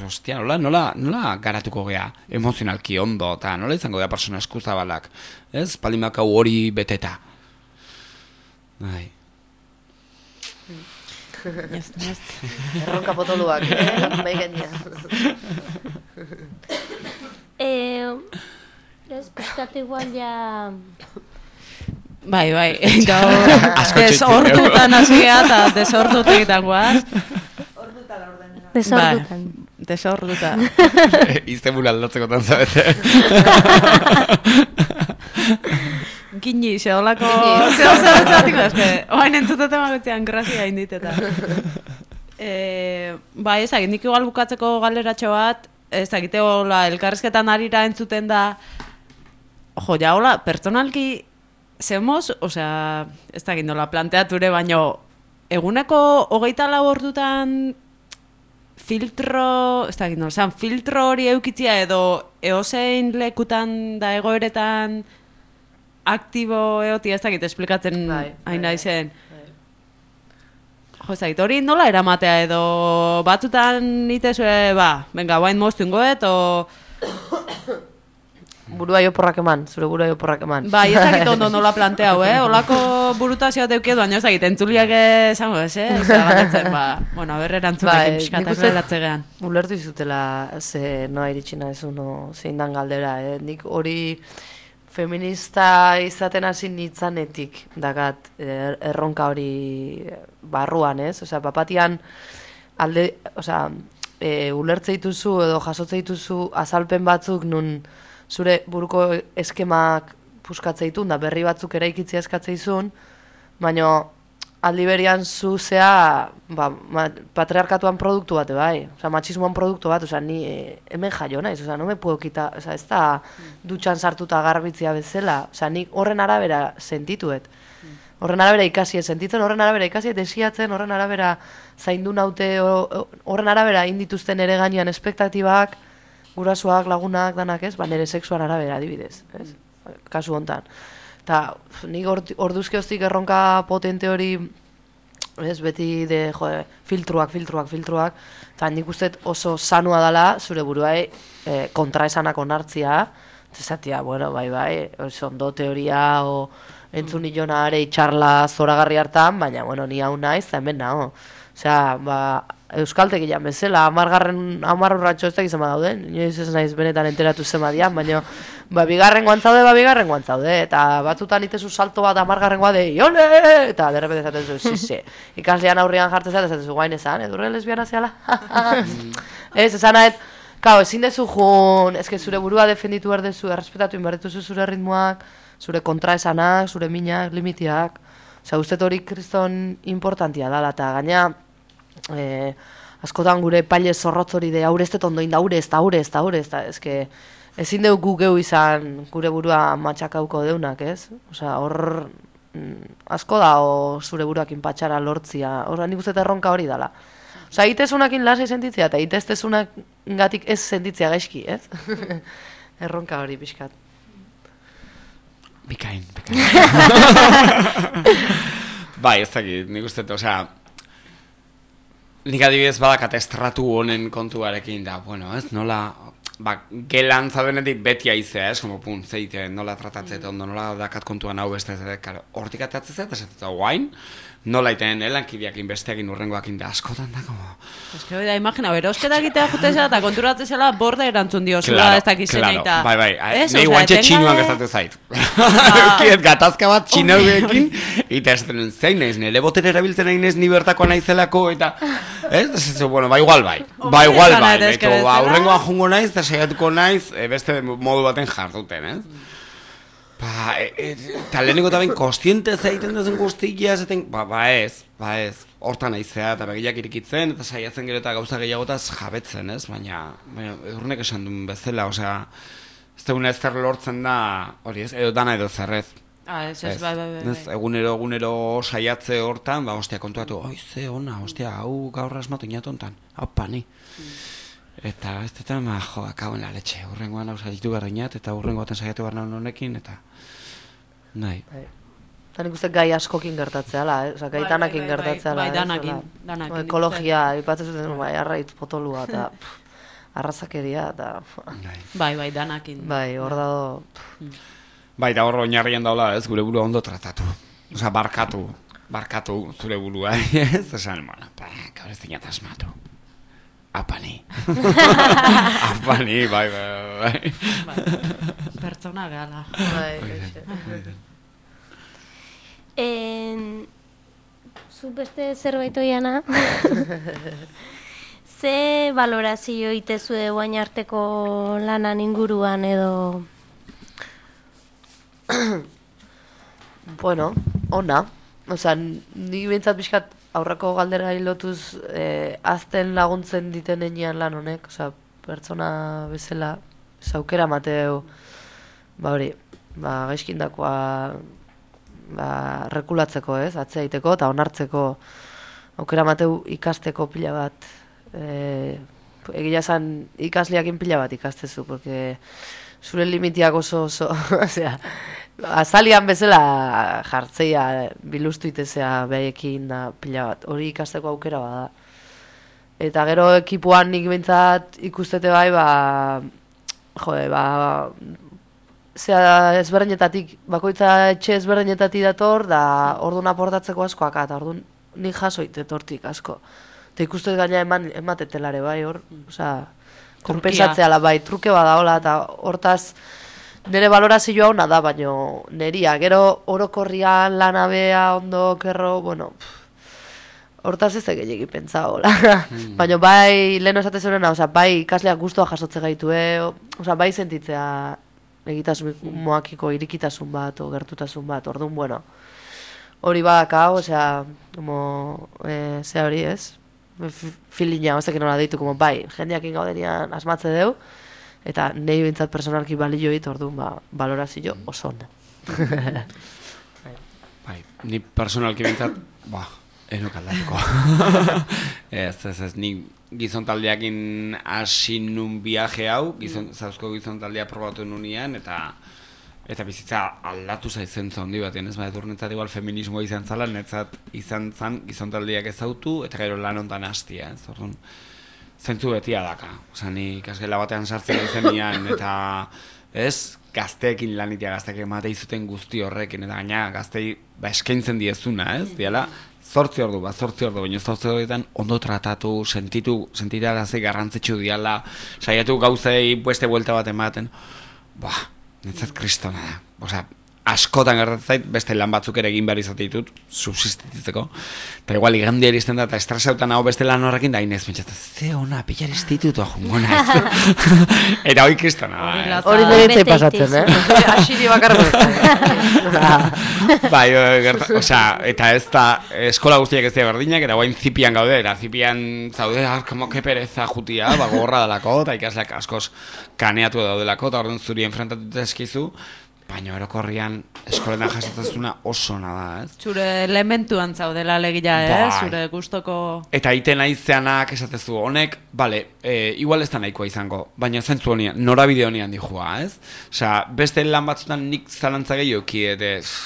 Ostia, nola garatuko gea emozionalki ondo, eta nola izango gea persona eskuzabalak, ez? Palimakau hori beteta. Bai. Erronka potoluak, bai genia. Ez, pizkat igual ja... Bai, gaur desordutan hasi geha eta desordut egiten guaz. Desordutan. Iztemula aldatzeko tanzabete. Gini, zeolako... Zeolako eske, oain entzutete magutzean grazia inditeta. Bai, ezagit, nik igual bukatzeko galeratxo bat, ezagite hola, elkarrezketan arira entzuten da, ja, hola, pertsonalki zemoz, osea, ez dakit nola planteature, baino eguneko 24 ordutan filtro, ez dakit nola, filtro hori eukitzia edo eozein lekutan da egoeretan aktibo eotia, ez dakit esplikatzen hain naizen. Jo, ez dakit, hori nola eramatea edo batzutan itezue, venga, guain moztungoet, Burua joporrak eman, zure burua joporrak eman. Bai, ez dakit ondo nola planteau, Olako burutazioa teukiedu, baina ez dakit, entzuliak esango ez, Zagatzen, bueno, berre erantzunekin pixkatak leratzegean. Ulertu izutela, ze noa iritsina ez uno zein dan galdera, Nik hori feminista izaten hasi nitzanetik dakat erronka hori barruan, ez? Osea, papatian ulertze dituzu edo jasotze dituzu azalpen batzuk nun zure buruko eskemak puskatzea da berri batzuk eraikitzea eskatzeizun, baina aldi berian zuzea patriarkatuan produktu bat, bai, osea, machismoan produktu bat, osea, ni hemen jaio naiz, osea, no me puedo quitar, osea, ez da dutxan sartuta garbitzia bezala, osea, nik horren arabera sentituet, horren arabera ikasi sentitzen, horren arabera ikasi desiatzen, horren arabera zaindu naute, horren arabera indituzten ere gainean espektatibak, gurasoak, lagunak, danak ez, nire sexuan arabera adibidez, ez? Kasu hontan. Eta nik orduzke hoztik erronka potente hori, ez, beti filtruak, eta nik usteet oso sanua dela, zure buruai kontraesanak onartzia, zezatia, bueno, bai, oso ondo teoria, o entzun nilona are itxarla zoragarri hartan, baina, bueno, ni hau naiz, eta hemen naho. Osea, euskalteki jan bezala, 10 urratxo ez da gizema dauden, inoiz ez naiz benetan enteratu zema dian, baina bigarren guantzaude, eta batzutan itezu salto bat 10 de, jole, eta derrepete zaten zu, zize, ikaslean aurrian jartzen zaten zu, guain ezan, edurre lesbiana zehala, ez, esan nahet, kao, ezin dezu jun, ezke zure burua defenditu erdezu, errespetatu inberdetuzu zure ritmoak, zure kontraesanak, zure minak, limitiak, Osea, uste hori kriston importantia dala, eta gaina askotan gure paile zorrotz hori de haure ez dut ondoin da, haure ez da, eske ezin dugu geu izan gure burua matxakauko deunak, ez? Osea, hor asko da zure buruakin patxara lortzia, hor nik uste erronka hori dala. Osea, itezunakin lasai sentitzea, eta iteztezunak gatik ez sentitzea gaizki, ez? Erronka hori pixkat. Bikain. Bai, ez dakit, nik uste, osea, nik adibidez badakat estratu honen kontuarekin da, bueno, ez, nola, gelan zaudenetik beti aizea, ez, como pun, zeite, nola tratatzet ondo, nola dakat kontuan hau beste, karo, hortik atatzezet, ez guain, nola iten lankideakin besteakin urrengoakin da askotan da, como... Ez que hori da, imagina, berosketa egitea jutezela eta konturatzen zela borde erantzun diozula ez dakizen eta... Bai, nahi guantxe txinuan gertatu zait. Eukiet gatazka bat txinauekin, eta ez denen zein naiz, nire botere erabiltzen nahi naiz ni bertako naizelako, eta... Ez, bueno, igual bai, beto, urrengoan jungo naiz, eta saiatuko naiz, beste modu baten jarduten, ez? Eta lehenengo eta ben kostiente zaiten duzen guztia, zaten, ez, hortan naizea, eta begiak irikitzen, eta saiatzen gero eta gauza gehiagotaz jabetzen, ez? Baina urrunek esan duen bezala, osea, ez duguna ez zer lortzen da, hori ez, edo dana edo zerrez. Ez, bai. Egunero saiatze hortan, ostia, kontuatu, ze ona, ostia, hau gaur asmatu inatontan, hau pani. Eta ez dut, akauen la letxe, urrengoan hau saiatu berreinat, eta urrengoaten saiatu berrein honekin, eta nahi. Eta nik uste gai askokin gertatzea, oza, gai danakin gertatzea. Bai, danakin. Ekologia, ipatzen zuten, arraitz potolua, eta arrazakeria, eta... Bai, danakin. Bai, hor dago... Bai, eta hor oinarrian daula, ez, gure burua ondo tratatu. Oza, barkatu zure burua, ez? Esan, bueno, gaur ez dinat asmatu. Apani. Bai. Pertsona gala. Zu beste zerbait oiana? Ze valorazio itezue guain arteko lanan inguruan edo? Bueno, ona. Osea, nik bintzat pixkat aurreko galdera hilotuz azten laguntzen diten enean lan honek, osea, pertsona bezala, aukera mateu, gaizkindakoa rekulatzeko, ez, atzea iteko eta onartzeko aukera mateu ikasteko pila bat, egia esan ikasleakin pila bat ikastezu, porque zure limitiak oso, osea, azalian bezala jartzeia bilustu itezea behaiekin da pila bat, hori ikasteko aukera bada. Eta gero ekipuan nik bintzat ikustete bai, zera ezberdinetatik, bakoitza etxe ezberdinetatik dator, da orduan aportatzeko askoak, eta orduan nik jasoit etortik asko. Eta ikustet gaina ematetelare bai, hor, osea, kompensatzea bai, truke badaola, eta hortaz, nire valorazioa hona da, baina neria, gero orokorrian lanabea ondo kerro, bueno, hortaz ez egin pentsa hola. Baina bai, leheno esate zurena, bai ikasleak guztua jasotze gaitu, bai sentitzea egitasun moakiko irikitasun bat, o gertutasun bat, orduan, bueno, hori badaka, ze hori ez, filina, ez ekin hola deitu, bai, jendeakin gaudenian asmatze deu, eta nahi bintzat personalki balio hit, orduan, valorazio oso onda. Bai, ni personalki bintzat, enok aldatuko. Ez, ni gizontaldeakin hasi nun viaje hau, zauzko gizontaldea probatu nunean, eta bizitza aldatu zaizen zondi batean, ez edurnetzat igual feminismoa izan zala, netzat izan zan gizontaldeak ezautu, eta gero lan ontan hastia, ez, orduan, zentzu betia daka. Osa, ni ikasgela batean sartzen izan nian, eta ez, gazteekin lanitia, gazteek emate izuten guzti horrekin, eta gaina gaztei eskaintzen diezuna, ez, diala, 8 ordu, baina 8 orduetan ondo tratatu, sentitarazi garrantzitsu diala, saiatu gauzei beste buelta bat ematen, netzat kristona da. Osa, askotan gertatzait, beste lan batzuk ere egin behar izatitut, subsistitzeko. Eta igual, igandia iristen da, eta estresautan hau beste lan horrekin, da inez, mentxatzen, ze ona, pillar institutua jungona ez. Eta hoi kristona da. Hori niretzai pasatzen, Asiri bakarra. Bai, osea, eta ez da, eskola guztiak ez dira berdinak, eta guain zipian gaude, eta zipian zaude, como que pereza jutia, gogorra dalako, eta ikasleak askoz kaneatu daudelako, eta orduan zuri enfrentatu eskizu, baina orokorrian eskoletan jasotzezuna oso nada, ez? Zure elementuan zaudela alegia, Bai. Zure gustoko... Eta iten aizeanak esatezu, honek, bale, igual ez da nahikoa izango, baina zentzu honian, norabide honian dihua, ez? Osea, beste lan batzutan nik zalantza gehioki,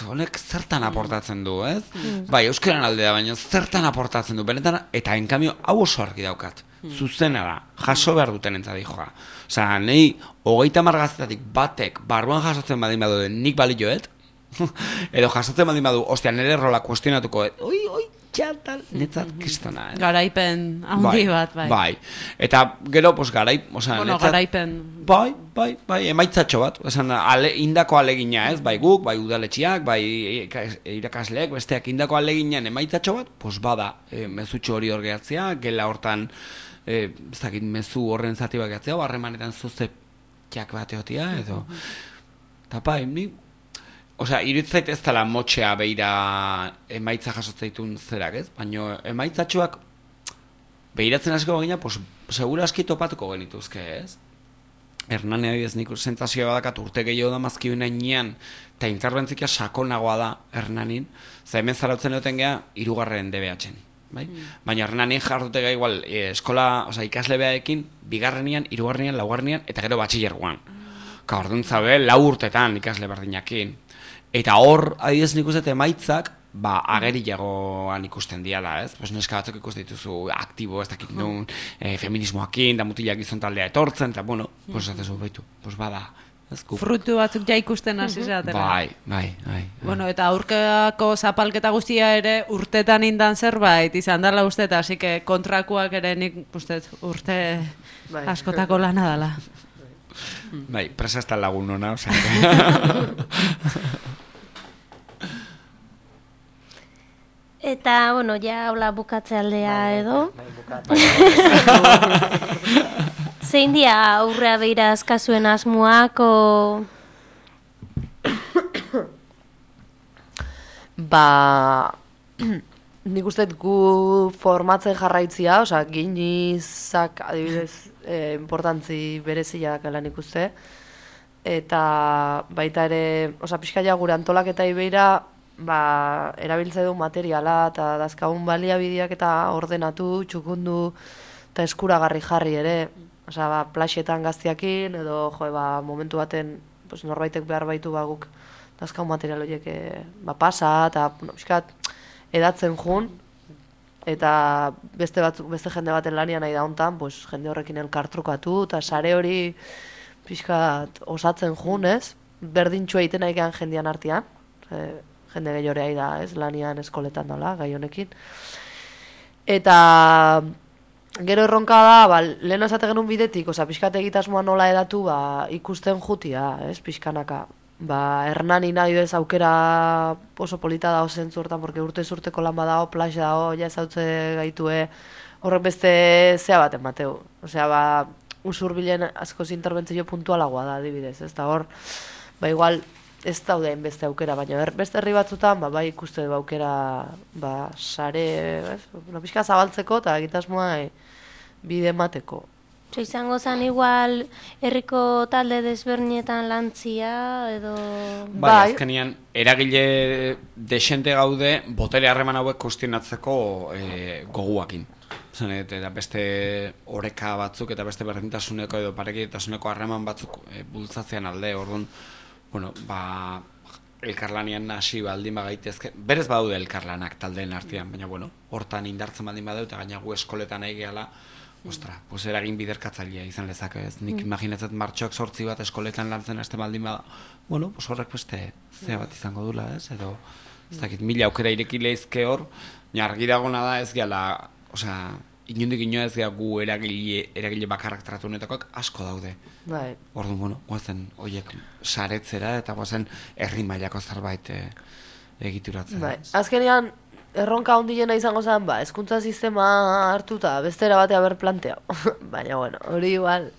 honek zertan aportatzen du, ez? Bai, euskaran aldea, baina zertan aportatzen du, benetan, eta enkamio hau oso argi daukat. Zuzena da, jaso behar duten entzadi joa. Osea, nahi, 30 gaztetatik batek barruan jasotzen badin badu nik balioet, edo jasotzen badin badu, ostia, nire rola kuestionatuko, oi, txatal, netzat kristona, Garaipen handi bat, bai. Bai, eta gero, pues, osea, Bueno, netzat, garaipen... Bai, emaitzatxo bat, esan, indako alegina, ez, bai guk, bai udaletxiak, bai irakasleek, besteak indako aleginan emaitzatxo bat, pues bada, mezutxo hori hor gehatzea, gela hortan, ez dakit mezu horren zati bat gehatzea, o harremanetan zuze txak bat egotia, edo, eta bai, ni, osea, iruditzait ez dela motxea beira emaitza jasotzeitun zerak, ez, baina emaitzatxoak behiratzen asko bagina, pues, segura aski topatuko genituzke, ez? Hernani adibidez nik sentsazioa badakat urte gehiago da mazkiuen ainean eta interbentzia sakonagoa da Hernanin, za hemen zarautzen duten gea 3. DBH-en, bai? Baina Hernanin jardute ga igual eskola, osea ikaslebeaekin 2., 3., 4. eta gero batxilergoan. Ka orduan zabe 4 urtetan ikasle berdinakin. Eta hor adibidez nik uste emaitzak ageriagoan ikusten diala, ez? Pues neska batzuk ikusten dituzu aktibo, ez dakit nun, feminismoakin, da mutilak gizon taldea etortzen, eta bueno, pues atezu baitu, pues bada, ez? Frutu batzuk ja ikusten hasi zatela. Bai. Bueno, eta aurkako zapalketa guztia ere urtetan indan zerbait izan dela uste, eta así que kontrakoak ere nik uste urte askotako lana dela. Bai, presa ez da lagun ona, osea. Eta, bueno, ja hola bukatze aldea edo. Zein dia aurrea beira azkazuen asmoak, o... Nik uste gu formatzen jarraitzia, osea, ginizak adibidez importantzi berezia dakela nik uste. Eta baita ere, osea, pixkaia gure antolaketai beira, erabiltze du materiala eta dazkagun baliabideak eta ordenatu, txukundu eta eskuragarri jarri ere. Osea, plaxetan gaztiakin edo momentu baten norbaitek behar baitu guk dazkagun material horiek pasa eta pixkat edatzen jun eta beste jende baten lanian nahi da hontan, jende horrekin elkartrukatu eta sare hori pixkat osatzen jun, ez? Berdintxua egiten nahi jendean artean, jende gehiorea da, ez, lanian eskoletan dela, gai honekin. Eta gero erronka da, lehen esate genuen bidetik, pixkat egitasmoa nola edatu, ikusten jutia, ez, pixkanaka. Hernani nahi bez aukera oso polita da zentzu hortan, porque urteko lan badao, plax dao, ja ezautze gaitue, horrek beste zea baten bateu. Osea, usurbilen askoz interbentzio puntualagoa da, adibidez, ez da hor, igual, ez daudein beste aukera, baina beste herri batzutan, ikuste aukera, sare, pixka zabaltzeko eta egitasmoa bide emateko. Izango zen igual herriko talde desbernietan lantzia, edo... Bai, azkenian, eragile desente gaude, botere harreman hauek kuestionatzeko goguakin. Eta beste oreka batzuk eta beste berdintasuneko edo parekitasuneko harreman batzuk bultzatzean alde, orduan, bueno, elkarlanian hasi baldin bagaitezke, berez badaude elkarlanak taldeen artean, baina bueno, hortan indartzen baldin badau eta gaina gu eskoletan nahi gehala, ostra, pues eragin biderkatzailea izan lezake, ez? Nik imaginatzat martxoak 8 bat eskoletan lantzen haste baldin bada, bueno, pues horrek beste zea bat izango dula, ez? Edo, ez dakit, 1000 aukera ireki leizke hor, argi dagona da ez gehala, osea, inundik inoa ez geha gu eragile bakarrak tratu honetakoak asko daude. Orduan, bueno, guazen horiek saretzera eta guazen herri mailako zerbait egituratzen. Azkenean, erronka handiena izango zen, hezkuntza sistema hartuta bestera batea ber planteau. Baina, bueno, hori igual,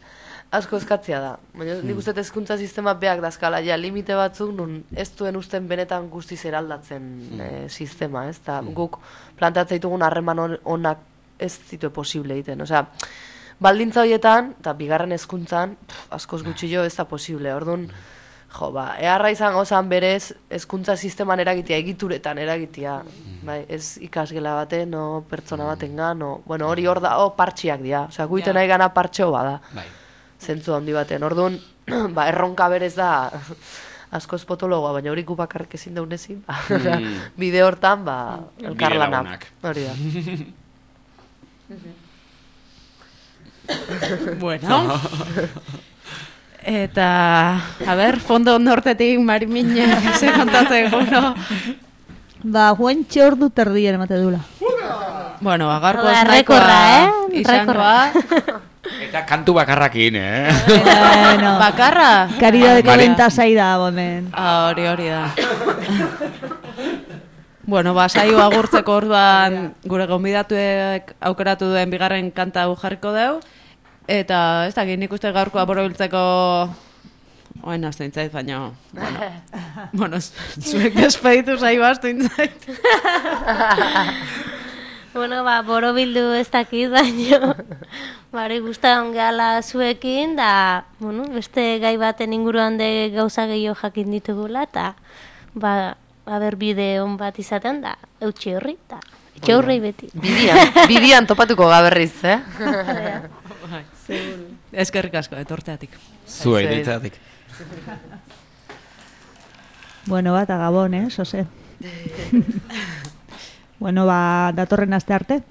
asko eskatzia da. Baina nik uste hezkuntza sistema beak dazkala, ja, limite batzuk nun ez duen usten benetan guztiz eraldatzen sistema, ez? Ta guk plantatzen ditugun harreman onak ez zitue posible egiten. Osea, baldintza horietan, eta bigarren hezkuntzan, askoz gutxillo ez da posible. Orduan, eharra izango zan berez, hezkuntza sisteman eragitea, egituretan eragitea. Bai, ez ikasgela baten, no pertsona batengan, no, bueno, hori hor da, partxiak dira. Osea, guiten nahi gana partxeo bada. Zentzu handi baten. Orduan, erronka berez da askoz potologoa, baina hori gu bakarrik ezin daunezin. Bide hortan, elkarlanak. Hori da. Bueno. Eta, a ber, fondo nortetik Mariminek ze kontatzeko, no? Guentxe ordu terdien emate dula. Bueno, agarko rekorra, izangoa. Eta kantu bakarrakin, Bueno, Bakarra? Karidadeko bentasai da, bomen. Hori da. Bueno, saio agurtzeko orduan gure gonbidatuek aukeratu duen bigarren kanta hau jarriko deu. Eta ez dakit nik uste gaurkoa borobiltzeko oen aztu intzait, baina bueno, zuek despeditu saio aztu intzait. Bueno, borobildu ez dakit, baina bari guztan gala zuekin, da, bueno, beste gai baten inguruan de gauza gehiago jakin ditugula, eta aber bide hon bat izaten da, eutxe horri, eta etxe horrei beti. Bidian topatuko gaberriz, Eskerrik asko, etorteatik. Zuei, deitzeatik. Bueno, eta gabon, Jose. Bueno, datorren aste arte.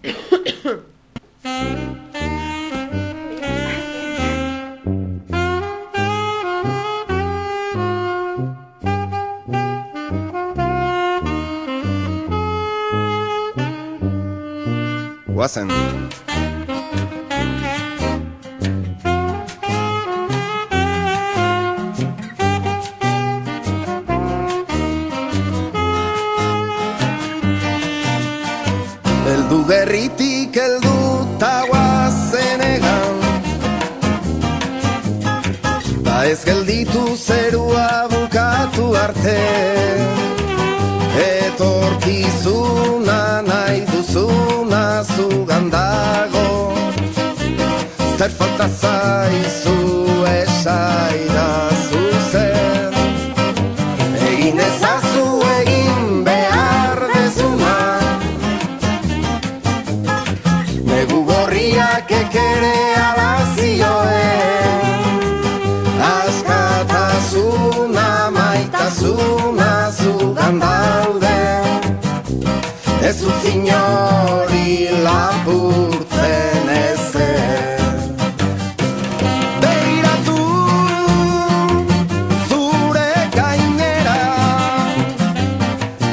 Guazen. Eldu gerritik eldu ta guazen egan, ba ez gelditu zerua bukatu arte, etorkizuna nahi duzuna zugan dago, zer falta zaizu esaidazu zer, egin ezazu egin behar dezuna, negu gorriak ekere alazioen, askatasuna maitasuna zugan daude, ez utzin hori lapurtzen ezer. Begiratu zure gainera,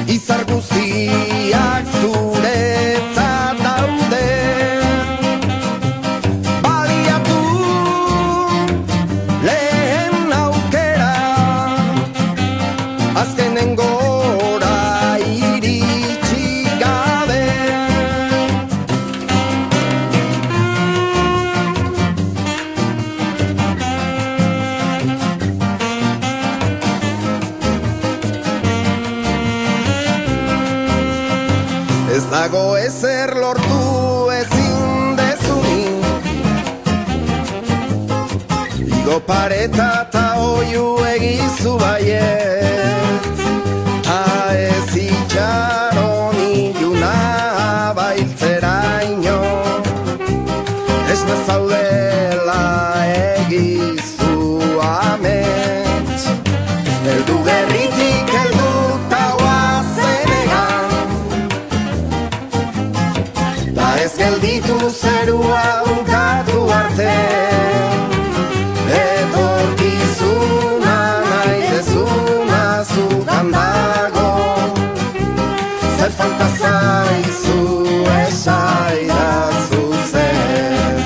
izar guztiak zuretzat daude, baliatu lehen aukera, azkenengora iritsi gabe. Ez dago ezer lortu ezin dezunik, igo pareta eta oiu egizu baiet, ta ez itxaron iluna bailtzeraino, ez nazaudela egizu amets, eldu gerritik eldu ta guazen egan, da ez gelditu zerua bukatu arte, etorkizuna nahi dezuna zugan dago, zer falta zaizu esaidazu zer.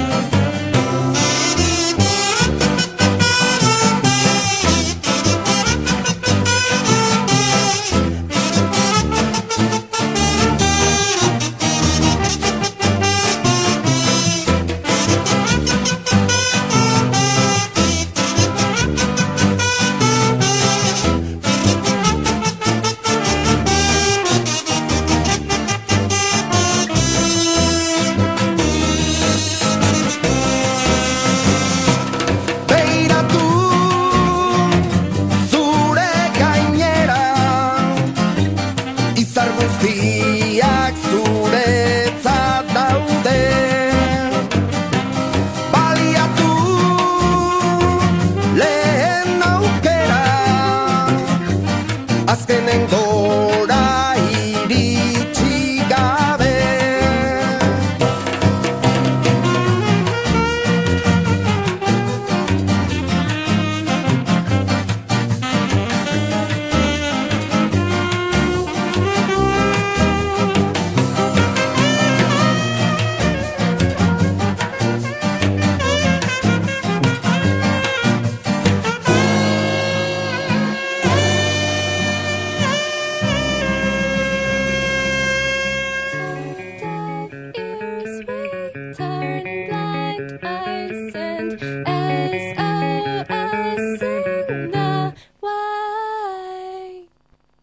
indar guzti